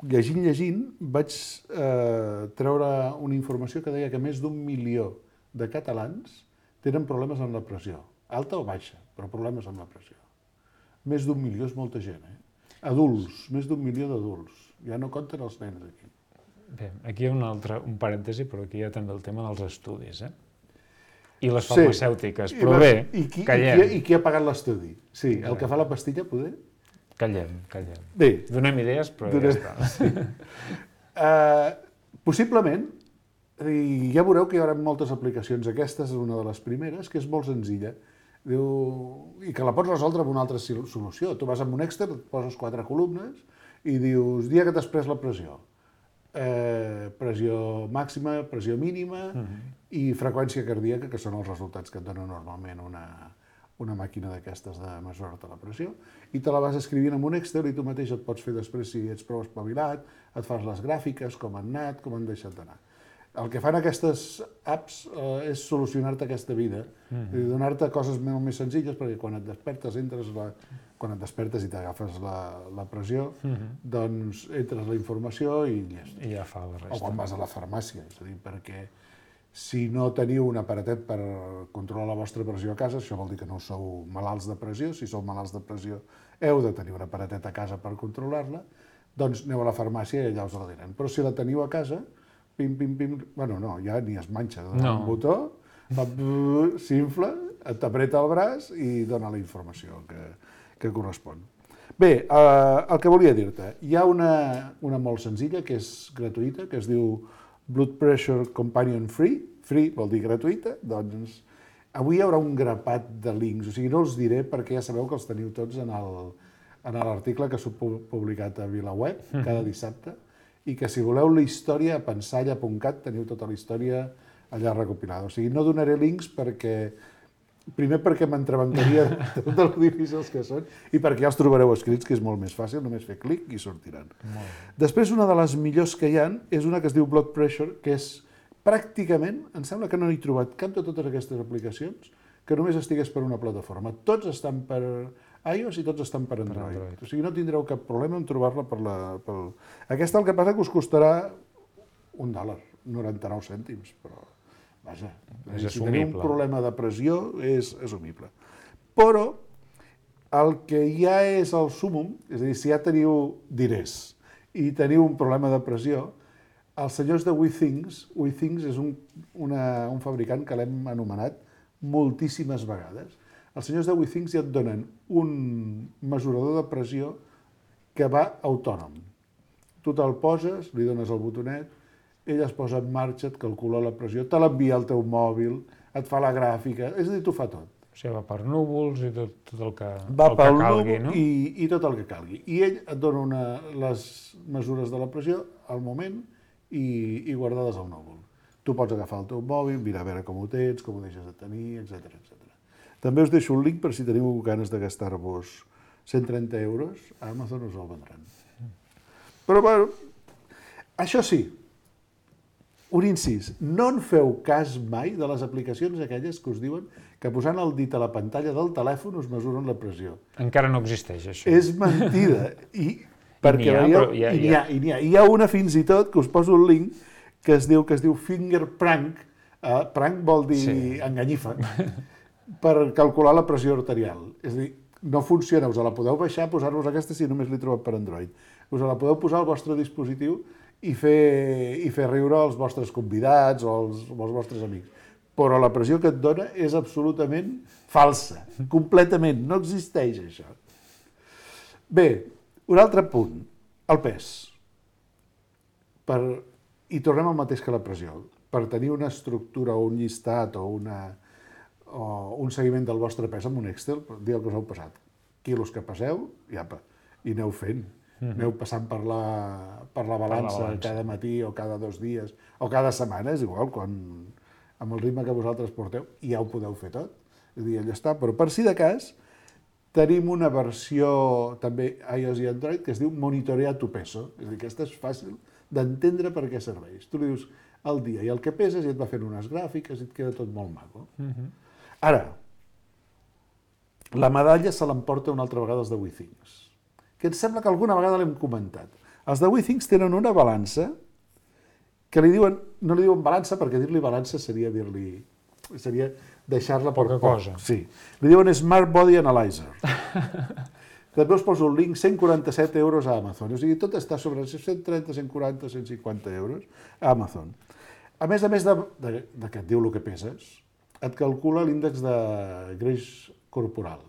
Llegint, llegint, vaig eh, treure una informació que deia que més d'un milió de catalans tenen problemes amb la pressió, alta o baixa, però problemes amb la pressió. Més d'un milió és molta gent, eh? Adults, més d'un milió d'adults. Ja no compten els nens aquí. Bé, aquí hi ha un altre, un parèntesi, però aquí hi ha també el tema dels estudis, eh? I les Sí. farmacèutiques, I però vas- bé, i qui, callem, I qui, I qui ha pagat l'estudi? Sí, el Callem. que fa la pastilla, poder? callem, callem. Bé, Donem idees, però Donem- ja està. Uh, possiblement, i ja veureu que hi haurà moltes aplicacions. Aquesta és una de les primeres, que és molt senzilla. Diu, i que la pots resoldre amb una altra sil- solució. Tu vas amb un Excel, et poses quatre columnes i dius, dia que t'has pres la pressió. Eh, pressió màxima, pressió mínima i freqüència cardíaca, que són els resultats que et dona normalment una, una màquina d'aquestes de mesurar-te la pressió, i te la vas escrivint en un Excel i tu mateix et pots fer després, si ets prou espavilat, et fas les gràfiques, com han anat, com han deixat d'anar. el que fan aquestes apps eh, és solucionar-te aquesta vida, mm. donar-te coses molt més senzilles, perquè quan et despertes, entres la, quan et despertes i t'agafes la, la pressió, mm-hmm. doncs entres la informació i ja, I ja fa la resta. O quan vas a la farmàcia, és a dir, perquè si no teniu un aparatet per controlar la vostra pressió a casa, això vol dir que no sou malalts de pressió, si sou malalts de pressió heu de tenir un aparatet a casa per controlar-la, doncs aneu a la farmàcia i allà us la donen. Però si la teniu a casa, pim, pim, pim, bueno, no, ja ni es manxa, dona no. un botó, s'infla, t'apreta el braç i dona la informació que, que correspon. Bé, eh, el que volia dir-te, hi ha una, una molt senzilla, que és gratuïta, que es diu Blood Pressure Companion Free, free vol dir gratuïta, doncs avui hi haurà un grapat de links, o sigui, no els diré perquè ja sabeu que els teniu tots en el, en l'article que s'ha publicat a VilaWeb cada dissabte, i que si voleu la història a pensalla punt cat teniu tota la història allà recopilada. O sigui, no donaré links perquè, primer perquè m'entrebancaria de tots els difícils que són, i perquè ja els trobareu escrits, que és molt més fàcil, només fer clic i sortiran. Després, una de les millors que hi ha és una que es diu Blood Pressure, que és pràcticament, em sembla que no he trobat cap de totes aquestes aplicacions que només estigués per una plataforma. Tots estan per iOS i tots estan per Android. Per Android. O sigui, no tindreu cap problema en trobar-la per la... Per... Aquesta el que passa que us costarà un dòlar, noranta-nou cèntims, però, vaja, és si teniu un problema de pressió és assumible. Però el que ja és el súmum, és a dir, si ja teniu diners i teniu un problema de pressió, els senyors de WeThings, WeThings és un, una, un fabricant que l'hem anomenat moltíssimes vegades. Els senyors de WeThings ja et donen un mesurador de pressió que va autònom. Tu te'l poses, li dones el botonet, ell es posa en marxa, et calcula la pressió, te l'envia al teu mòbil, et fa la gràfica, és a dir, t'ho fa tot. O sigui, va per núvols i tot, tot el que, va el que calgui, no? I, i tot el que calgui. I ell et dona una, les mesures de la pressió al moment i, i guardades al núvol. Tu pots agafar el teu mòbil, mirar a veure com ho tens, com ho deixes de tenir, etcètera, etcètera. També us deixo un link per si teniu ganes de gastar-vos cent trenta euros, a Amazon us el vendran. Però, bueno, això sí, un incís, no en feu cas mai de les aplicacions aquelles que us diuen que posant el dit a la pantalla del telèfon us mesuren la pressió. Encara no existeix, això. És mentida. I, perquè ha, veieu, hi ha, i n'hi ha, i n'hi ha. Hi ha una fins i tot que us poso un link que es diu, que es diu Finger Prank, eh, prank vol dir sí. enganyifa, per calcular la pressió arterial. És a dir, no funciona, us la podeu baixar, posar-vos aquesta si només l'he trobat per Android. Us la podeu posar al vostre dispositiu i fer, i fer riure als vostres convidats o als, o als vostres amics. Però la pressió que et dona és absolutament falsa, completament, no existeix això. Bé, un altre punt, el pes. Per... I tornem al mateix que la pressió. Per tenir una estructura o un llistat o una... o un seguiment del vostre pes amb un Excel, dir el que us heu passat. Quilos que passeu, i apa, i aneu fent. Mm-hmm. Aneu passant per la, per la balança, per la balança cada matí o cada dos dies, o cada setmana, és igual, quan, amb el ritme que vosaltres porteu, ja ho podeu fer tot. És a dir, allà està. Però per si de cas, tenim una versió també iOS i Android que es diu Monitorea tu peso. És a dir, aquesta és fàcil d'entendre per què serveix. Tu li dius el dia i el que peses i et va fent unes gràfiques i et queda tot molt maco. Mm-hmm. Ara, la medalla se l'emporta una altra vegada els de WeThings, que em sembla que alguna vegada l'hem comentat. Els de WeThings tenen una balança que li diuen, no li diuen balança perquè dir-li balança seria dir-li, seria deixar-la per poca cosa. Sí. Li diuen Smart Body Analyzer. També us poso el link, cent quaranta-set euros a Amazon. O sigui, tot està sobre cent trenta, cent quaranta, cent cinquanta euros a Amazon. A més a més de, de, de que et diu el que peses, et calcula l'índex de greix corporal,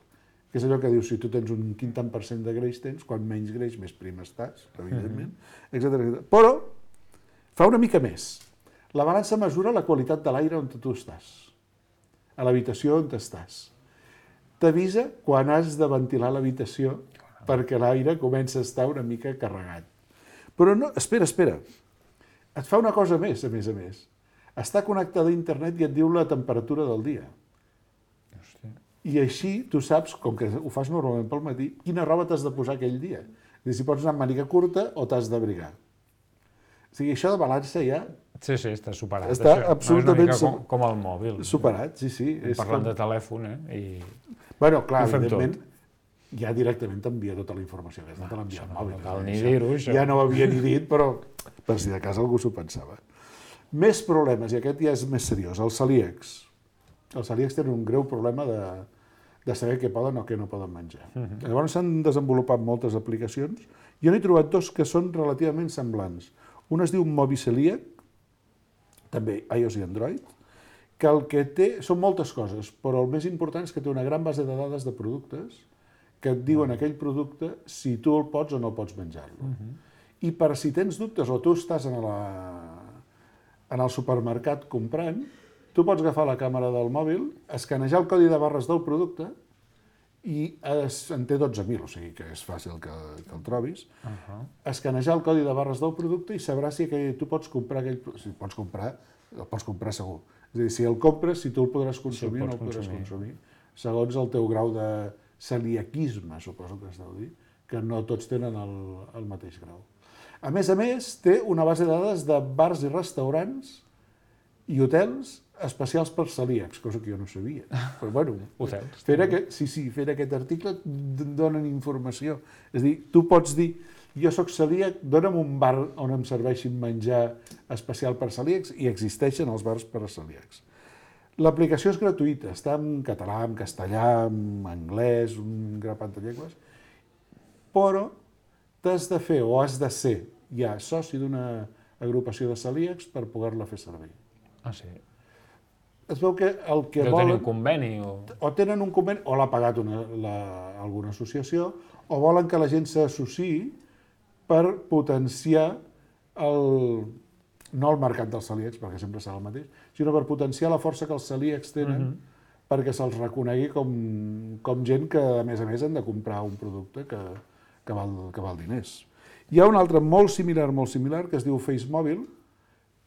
que és allò que diu, si tu tens un quin tant per cent de greix tens, quan menys greix, més prim estàs, evidentment, mm-hmm. etcètera, etcètera. Però fa una mica més. La balança mesura la qualitat de l'aire on tu estàs, a l'habitació on estàs. T'avisa quan has de ventilar l'habitació perquè l'aire comença a estar una mica carregat. Però no, espera, espera. Et fa una cosa més, a més a més. Està connectada a internet i et diu la temperatura del dia. Hòstia. I així tu saps, com que ho fas normalment pel matí, quina roba t'has de posar aquell dia. És dir, si pots anar amb màniga curta o t'has d'abrigar. O sigui, això de balança ja Sí, sí, està superat. Està això. absolutament no, és una mica com, com el mòbil. Superat, sí, sí. Parlant com... de telèfon, eh? I... Bueno, clar, ho fem evidentment, tot. ja directament t'envia tota la informació, que no te l'envia al mòbil. No cal ni dir-ho, això. Ja no ho havia ni dit, però per si de cas algú s'ho pensava. Més problemes, i aquest ja és més seriós, els celíacs. Els celíacs tenen un greu problema de, de saber què poden o què no poden menjar. Uh -huh. Llavors s'han desenvolupat moltes aplicacions. Jo n'he trobat dos que són relativament semblants. Un es diu Mobicelíac, també iOS i Android, que el que té són moltes coses, però el més important és que té una gran base de dades de productes que et diuen aquell producte si tu el pots o no pots menjar-lo. Uh -huh. I per si tens dubtes o tu estàs en, la, en el supermercat comprant, tu pots agafar la càmera del mòbil, escanejar el codi de barres del producte i es, en té dotze mil, o sigui que és fàcil que, que el trobis, uh -huh. escanejar el codi de barres del producte i sabràs si aquell, tu pots comprar aquell... Si pots comprar, el pots comprar segur. És a dir, si el compres, si tu el podràs consumir o no el podràs consumir, segons el teu grau de celiaquisme, suposo que es deu dir, que no tots tenen el, el mateix grau. A més a més, té una base de dades de bars i restaurants i hotels especials per celíacs, cosa que jo no sabia. Però, bueno, hotels. Fer aquest, sí, sí, fer aquest article et donen informació. És a dir, tu pots dir, jo sóc celíac, dona'm un bar on em serveixin menjar especial per celíacs, i existeixen els bars per a celíacs. L'aplicació és gratuïta, està en català, en castellà, en anglès, un grapat de llengües, però t'has de fer o has de ser ja soci d'una agrupació de celíacs per poder-la fer servir. Ah, sí? Es veu que el que Deu volen... tenir un conveni o... O tenen un conveni, o l'ha pagat una, la, alguna associació, o volen que la gent s'associï per potenciar el... no el mercat dels celíacs, perquè sempre serà el mateix, sinó per potenciar la força que els celíacs tenen, uh -huh. perquè se'ls reconegui com, com gent que, a més a més, han de comprar un producte que, que, val, que val diners. Hi ha un altre molt similar, molt similar, que es diu FaceMobile,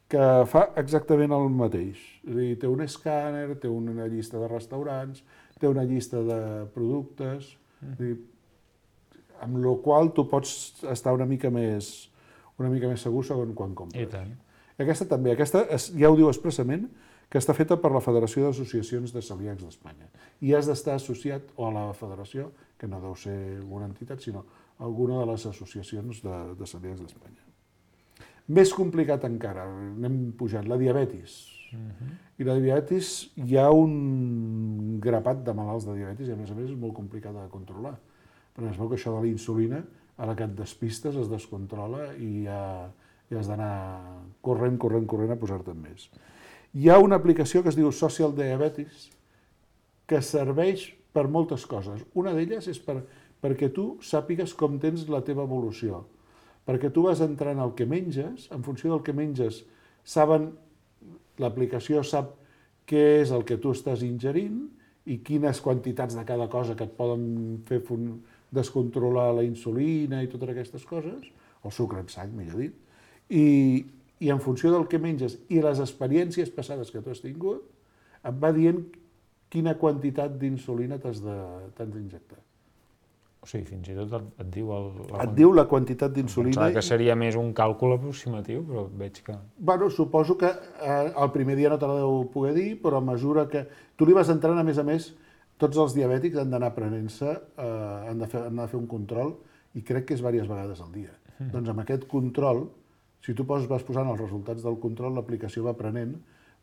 que fa exactament el mateix. És a dir, té un escàner, té una llista de restaurants, té una llista de productes, és a dir, amb la qual tu pots estar una mica més, una mica més segur segons quan compres. I tant. Aquesta també, aquesta ja ho diu expressament, que està feta per la Federació d'Associacions de Celíacs d'Espanya. I has d'estar associat o a la federació, que no deu ser una entitat, sinó alguna de les associacions de, de celíacs d'Espanya. Més complicat encara, anem pujant, la diabetis. Uh-huh. I la diabetis, hi ha un grapat de malalts de diabetis i a més a més és molt complicat de controlar. Perquè es veu que això de la insulina, a la que et despistes, es descontrola i ja, ja has d'anar corrent, corrent, corrent a posar-te'n més. Hi ha una aplicació que es diu Social Diabetes que serveix per moltes coses. Una d'elles és per, perquè tu sàpigues com tens la teva evolució. Perquè tu vas entrant el que menges, en funció del que menges, saben, l'aplicació sap què és el que tu estàs ingerint i quines quantitats de cada cosa que et poden fer descontrolar la insulina i totes aquestes coses, el sucre en sang, millor dit, i, i en funció del que menges i les experiències passades que tu has tingut, et va dient quina quantitat d'insulina t'has d'injectar. O sigui, fins i tot et, et diu... El, la et diu la quantitat d'insulina... Pensava que seria més un càlcul aproximatiu, però veig que... Bueno, suposo que eh, el primer dia no te la deu poder dir, però a mesura que... Tu li vas entrant, a més a més, tots els diabètics han d'anar prenent-se, eh, han, de fer, han de fer un control, i crec que és diverses vegades al dia. Mm. Doncs amb aquest control, si tu pos, vas posant els resultats del control, l'aplicació va aprenent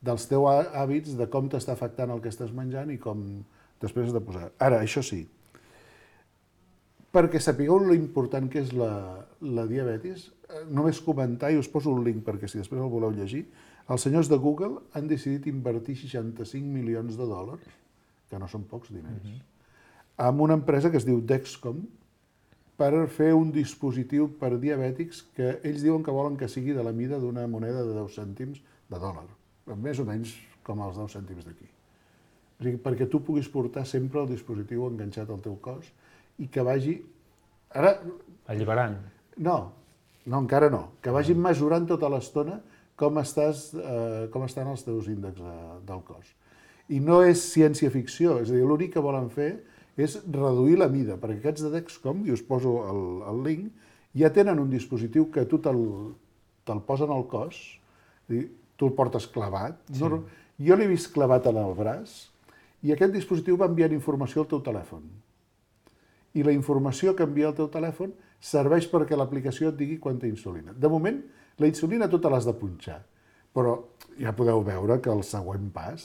dels teus hàbits, de com t'està afectant el que estàs menjant i com després has de posar. Ara, això sí, perquè sapigueu l'important que és la, la diabetis, només comentar, i us poso un link perquè si després el voleu llegir, els senyors de Google han decidit invertir seixanta-cinc milions de dòlars, que no són pocs diners, uh-huh. amb una empresa que es diu Dexcom, per fer un dispositiu per diabètics que ells diuen que volen que sigui de la mida d'una moneda de deu cèntims de dòlar, més o menys com els deu cèntims d'aquí. O sigui, perquè tu puguis portar sempre el dispositiu enganxat al teu cos i que vagi... Ara... Alliberant. No, no, encara no. Que vagi mesurant tota l'estona com, estàs, eh, com estan els teus índexs de, del cos. I no és ciència-ficció, és a dir, l'únic que volen fer és reduir la mida, perquè aquests de Dexcom, i us poso el, el link, ja tenen un dispositiu que tu te'l te posen al cos, Tu el portes clavat. Sí. No, jo l'he vist clavat en el braç i aquest dispositiu va enviant informació al teu telèfon. I la informació que envia al teu telèfon serveix perquè l'aplicació et digui quanta insulina. De moment, la insulina tota l'has de punxar, però ja podeu veure que el següent pas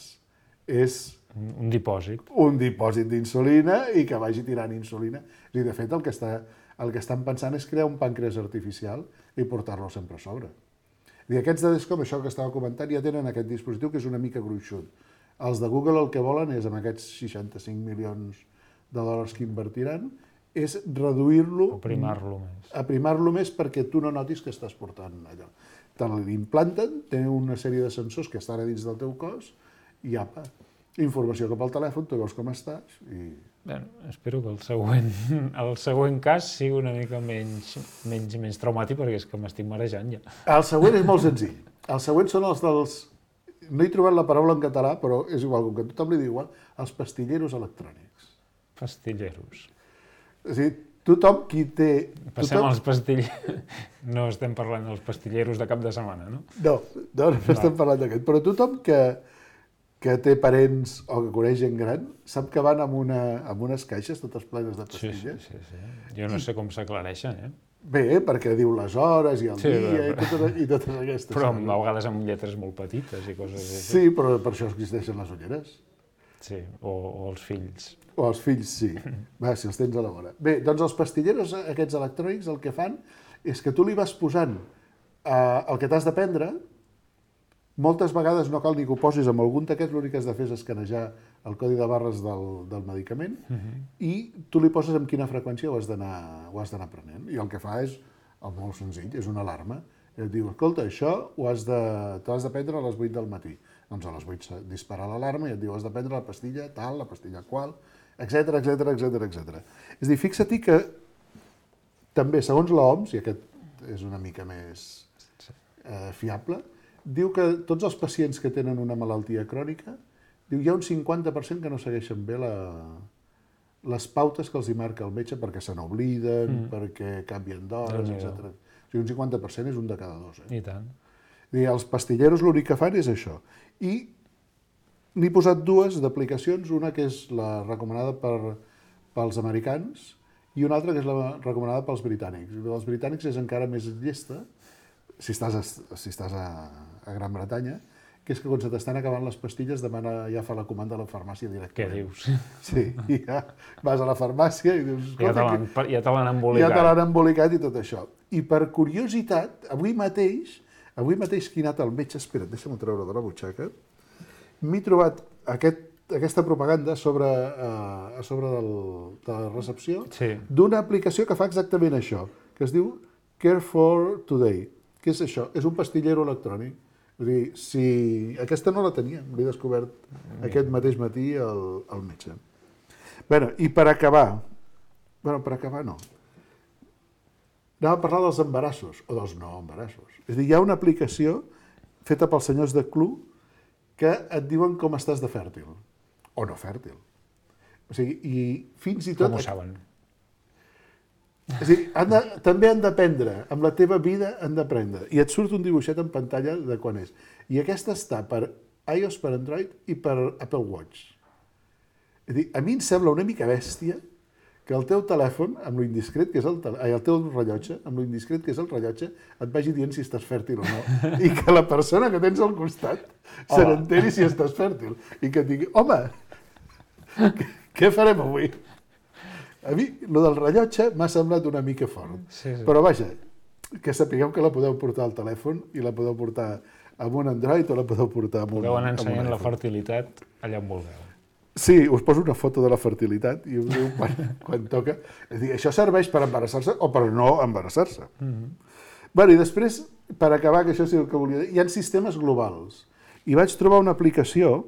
és un dipòsit. Un dipòsit d'insulina i que vagi tirant insulina. És a dir, de fet, el que, està, el que estan pensant és crear un pàncreas artificial i portar-lo sempre a sobre. I aquests de Descom, això que estava comentant, ja tenen aquest dispositiu que és una mica gruixut. Els de Google el que volen és, amb aquests seixanta-cinc milions de dòlars que invertiran, és reduir-lo... Aprimar-lo més. Aprimar-lo més perquè tu no notis que estàs portant allò. Te l'implanten, tenen una sèrie de sensors que estan a dins del teu cos i apa, informació cap al telèfon, tu veus com estàs i... Bé, espero que el següent, el següent cas sigui una mica menys, menys, menys traumàtic perquè és que m'estic marejant ja. El següent és molt senzill. El següent són els dels... No he trobat la paraula en català, però és igual, com que tothom li diu igual, els pastilleros electrònics. Pastilleros. És a dir, tothom qui té... Passem tothom... als pastilleros. No estem parlant dels pastilleros de cap de setmana, no? No, no, no estem parlant d'aquest. Però tothom que, que té parents o que coneix gent gran sap que van amb, una, amb unes caixes totes plenes de pastilles. Sí, sí, sí, sí. Jo no sé com s'aclareixen, eh? Bé, perquè diu les hores i el sí, dia però... i, totes, i totes aquestes. Però a vegades amb lletres molt petites i coses així. Sí, però per això existeixen les ulleres. Sí, o, o els fills. O els fills, sí. Va, si els tens a la vora. Bé, doncs els pastilleros aquests electrònics el que fan és que tu li vas posant eh, el que t'has de prendre, moltes vegades no cal ni que ho posis amb algun d'aquests, l'únic que has de fer és escanejar el codi de barres del, del medicament uh -huh. i tu li poses amb quina freqüència ho has d'anar prenent. I el que fa és, el molt senzill, és una alarma. I et diu, escolta, això ho has de, t'has de prendre a les vuit del matí. Doncs a les vuit dispara l'alarma i et diu, has de prendre la pastilla tal, la pastilla qual, etcètera, etcètera, etcètera, etcètera. És a dir, fixa-t'hi que també, segons l'O M S, i aquest és una mica més eh, fiable, diu que tots els pacients que tenen una malaltia crònica, diu hi ha un cinquanta per cent que no segueixen bé la, les pautes que els hi marca el metge perquè se n'obliden, mm. perquè canvien d'hores, etcètera. O sigui, un cinquanta per cent és un de cada dos. Eh? I tant. I els pastilleros l'únic que fan és això. I n'he posat dues d'aplicacions, una que és la recomanada per, pels americans i una altra que és la recomanada pels britànics. Els britànics és encara més llesta, si estàs, a, si estàs a, a Gran Bretanya, que és que quan se t'estan acabant les pastilles demana, ja fa la comanda a la farmàcia directament. Què dius? Sí, i ja vas a la farmàcia i dius... Ja te l'han embolicat. Ja te l'han embolicat i tot això. I per curiositat, avui mateix, avui mateix que he anat al metge, espera't, deixa'm-ho treure de la butxaca, m'he trobat aquest, aquesta propaganda sobre, uh, a sobre del, de la recepció sí. d'una aplicació que fa exactament això, que es diu Care for Today. Què és això? És un pastillero electrònic. És dir, si... Aquesta no la tenia, l'he descobert aquest mateix matí al, al metge. Bé, i per acabar... Bé, per acabar no. Anava a parlar dels embarassos, o dels no embarassos. És dir, hi ha una aplicació feta pels senyors de Clue que et diuen com estàs de fèrtil, o no fèrtil. O sigui, i fins i tot... Com ho saben? És a dir, han de, també han d'aprendre, amb la teva vida han d'aprendre. I et surt un dibuixet en pantalla de quan és. I aquesta està per iOS, per Android i per Apple Watch. És a dir, a mi em sembla una mica bèstia que el teu telèfon, amb lo indiscret que és el, ai, el teu rellotge, amb lo indiscret que és el rellotge, et vagi dient si estàs fèrtil o no. I que la persona que tens al costat se n'enteri si estàs fèrtil. I que et digui, home, què farem avui? A mi, el del rellotge m'ha semblat una mica fort. Sí, sí. Però vaja, que sapigueu que la podeu portar al telèfon i la podeu portar amb un Android o la podeu portar amb un iPhone. Podeu anar ensenyant la fertilitat allà on vulgueu. Sí, us poso una foto de la fertilitat i us diu quan, quan toca. És a dir, això serveix per embarassar-se o per no embarassar-se. Mm-hmm. Bé, i després, per acabar, que això sí el que volia dir, hi ha sistemes globals. I vaig trobar una aplicació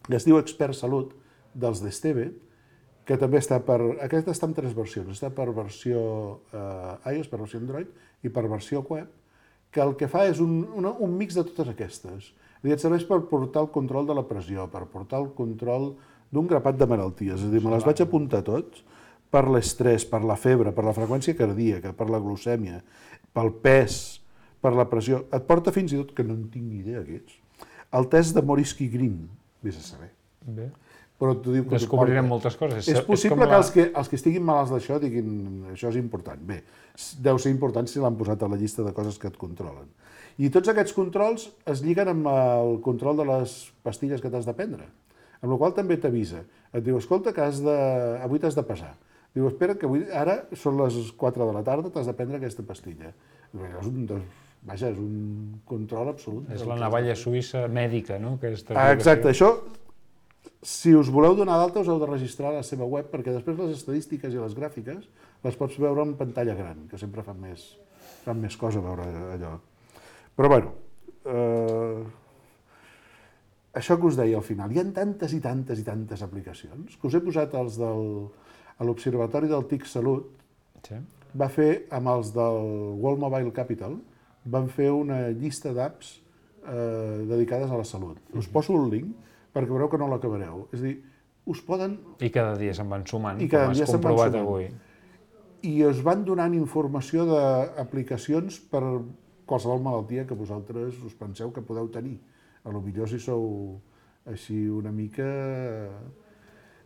que es diu Expert Salut, dels d'Esteve, que també està per... Aquesta està en tres versions. Està per versió eh, iOS, per versió Android i per versió web, que el que fa és un, una, un mix de totes aquestes. És a dir, et serveix per portar el control de la pressió, per portar el control d'un grapat de malalties. És a dir, me les vaig apuntar tots per l'estrès, per la febre, per la freqüència cardíaca, per la glucèmia, pel pes, per la pressió. Et porta fins i tot, que no en tinc ni idea què ets, el test de Morisky Green, vés a saber. Bé. Però t'ho diu que descobrirem moltes coses. És possible que els, que els que estiguin malalts d'això diguin això és important. Bé, deu ser important si l'han posat a la llista de coses que et controlen. I tots aquests controls es lliguen amb el control de les pastilles que t'has de prendre, amb la qual cosa també t'avisa. Et diu, escolta, que has de... avui t'has de pesar. Diu, espera, que avui... ara són les quatre de la tarda, t'has de prendre aquesta pastilla. És un... Vaja, és un control absolut. És la navalla suïssa mèdica, no? Ah, exacte, això... Si us voleu donar d'alta, us heu de registrar a la seva web, perquè després les estadístiques i les gràfiques les pots veure en pantalla gran, que sempre fan més, fan més cosa veure allò. Però, bueno, eh, això que us deia al final, hi ha tantes i tantes i tantes aplicacions, que us he posat els del... a l'Observatori del T I C Salut, sí. Va fer, amb els del World Mobile Capital, van fer una llista d'apps eh, dedicades a la salut. Us poso un link, perquè veureu que no l'acabareu. És a dir, us poden... I cada dia se'n van sumant, I cada com dia has se'n van comprovat sumant. avui. I us van donant informació d'aplicacions per qualsevol malaltia que vosaltres us penseu que podeu tenir. A lo millor si sou així una mica...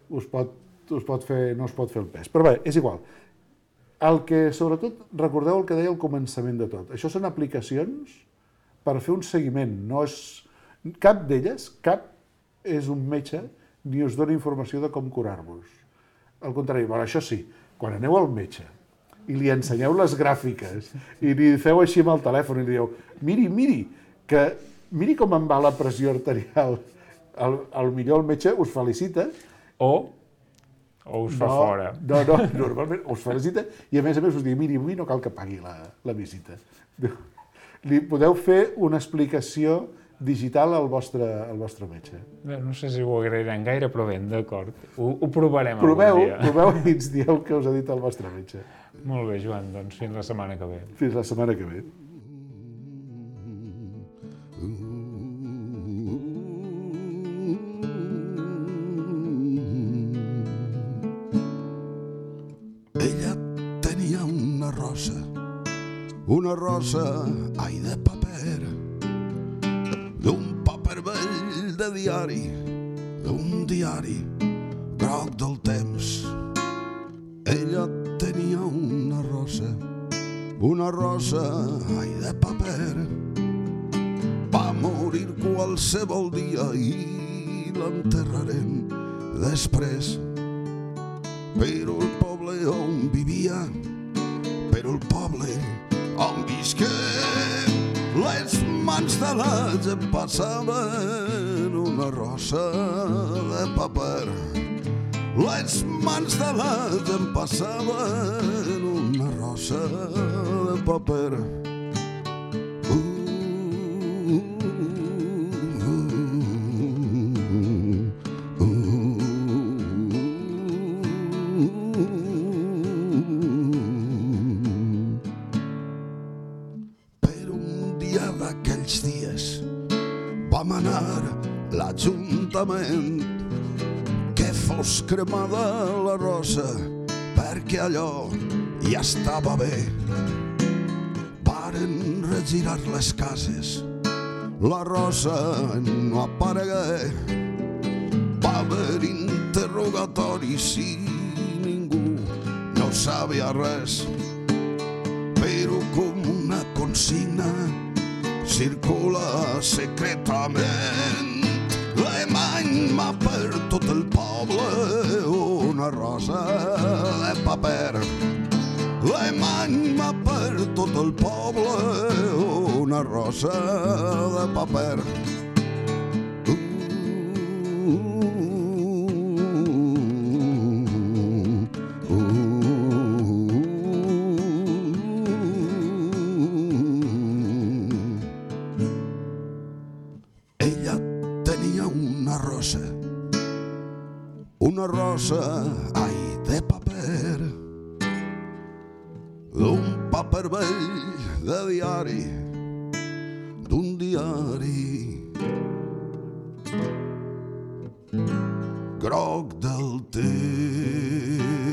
us pot, us pot fer, no us pot fer el pes. Però bé, és igual. El que, sobretot, recordeu el que deia al començament de tot. Això són aplicacions per fer un seguiment. No és... Cap d'elles, cap és un metge ni us dona informació de com curar-vos. Al contrari, bueno, això sí, quan aneu al metge i li ensenyeu les gràfiques i li feu així amb el telèfon i li dieu miri, miri, que miri com em va la pressió arterial, al, al millor el metge us felicita o, o us fa no, fora. No, no, normalment us felicita i a més a més us diu miri, avui no cal que pagui la, la visita. Li podeu fer una explicació digital al vostre, al vostre metge. Bé, no sé si ho agrairan gaire, però bé, d'acord. Ho, ho provarem proveu, algun dia. Proveu i ens dieu què us ha dit el vostre metge. Molt bé, Joan, doncs fins la setmana que ve. Fins la setmana que ve. Ella tenia una rosa, una rosa, ai, de paper, d'un paper vell de diari, d'un diari groc del temps. Ella tenia una rosa, una rosa, ai, de paper. Va morir qualsevol dia i l'enterrarem després. Però el poble on vivia, però el poble on visqué, les mans de la gent passaven una rosa de paper. Les mans de la gent passaven una rosa de paper. Uh, uh, uh, uh, Per un dia d'aquells dies vam anar a l'Ajuntament que fos cremada la rosa perquè allò ja estava bé. Varen regirar les cases, la rosa no aparegué. Va haver interrogatoris i ningú no sabia res, però com una consigna circula secretament. L'emany per tot el poble una rosa de paper. L'emany per tot el poble una rosa de paper. Una rosa, ai, de paper, d'un paper vell de diari, d'un diari groc del temps.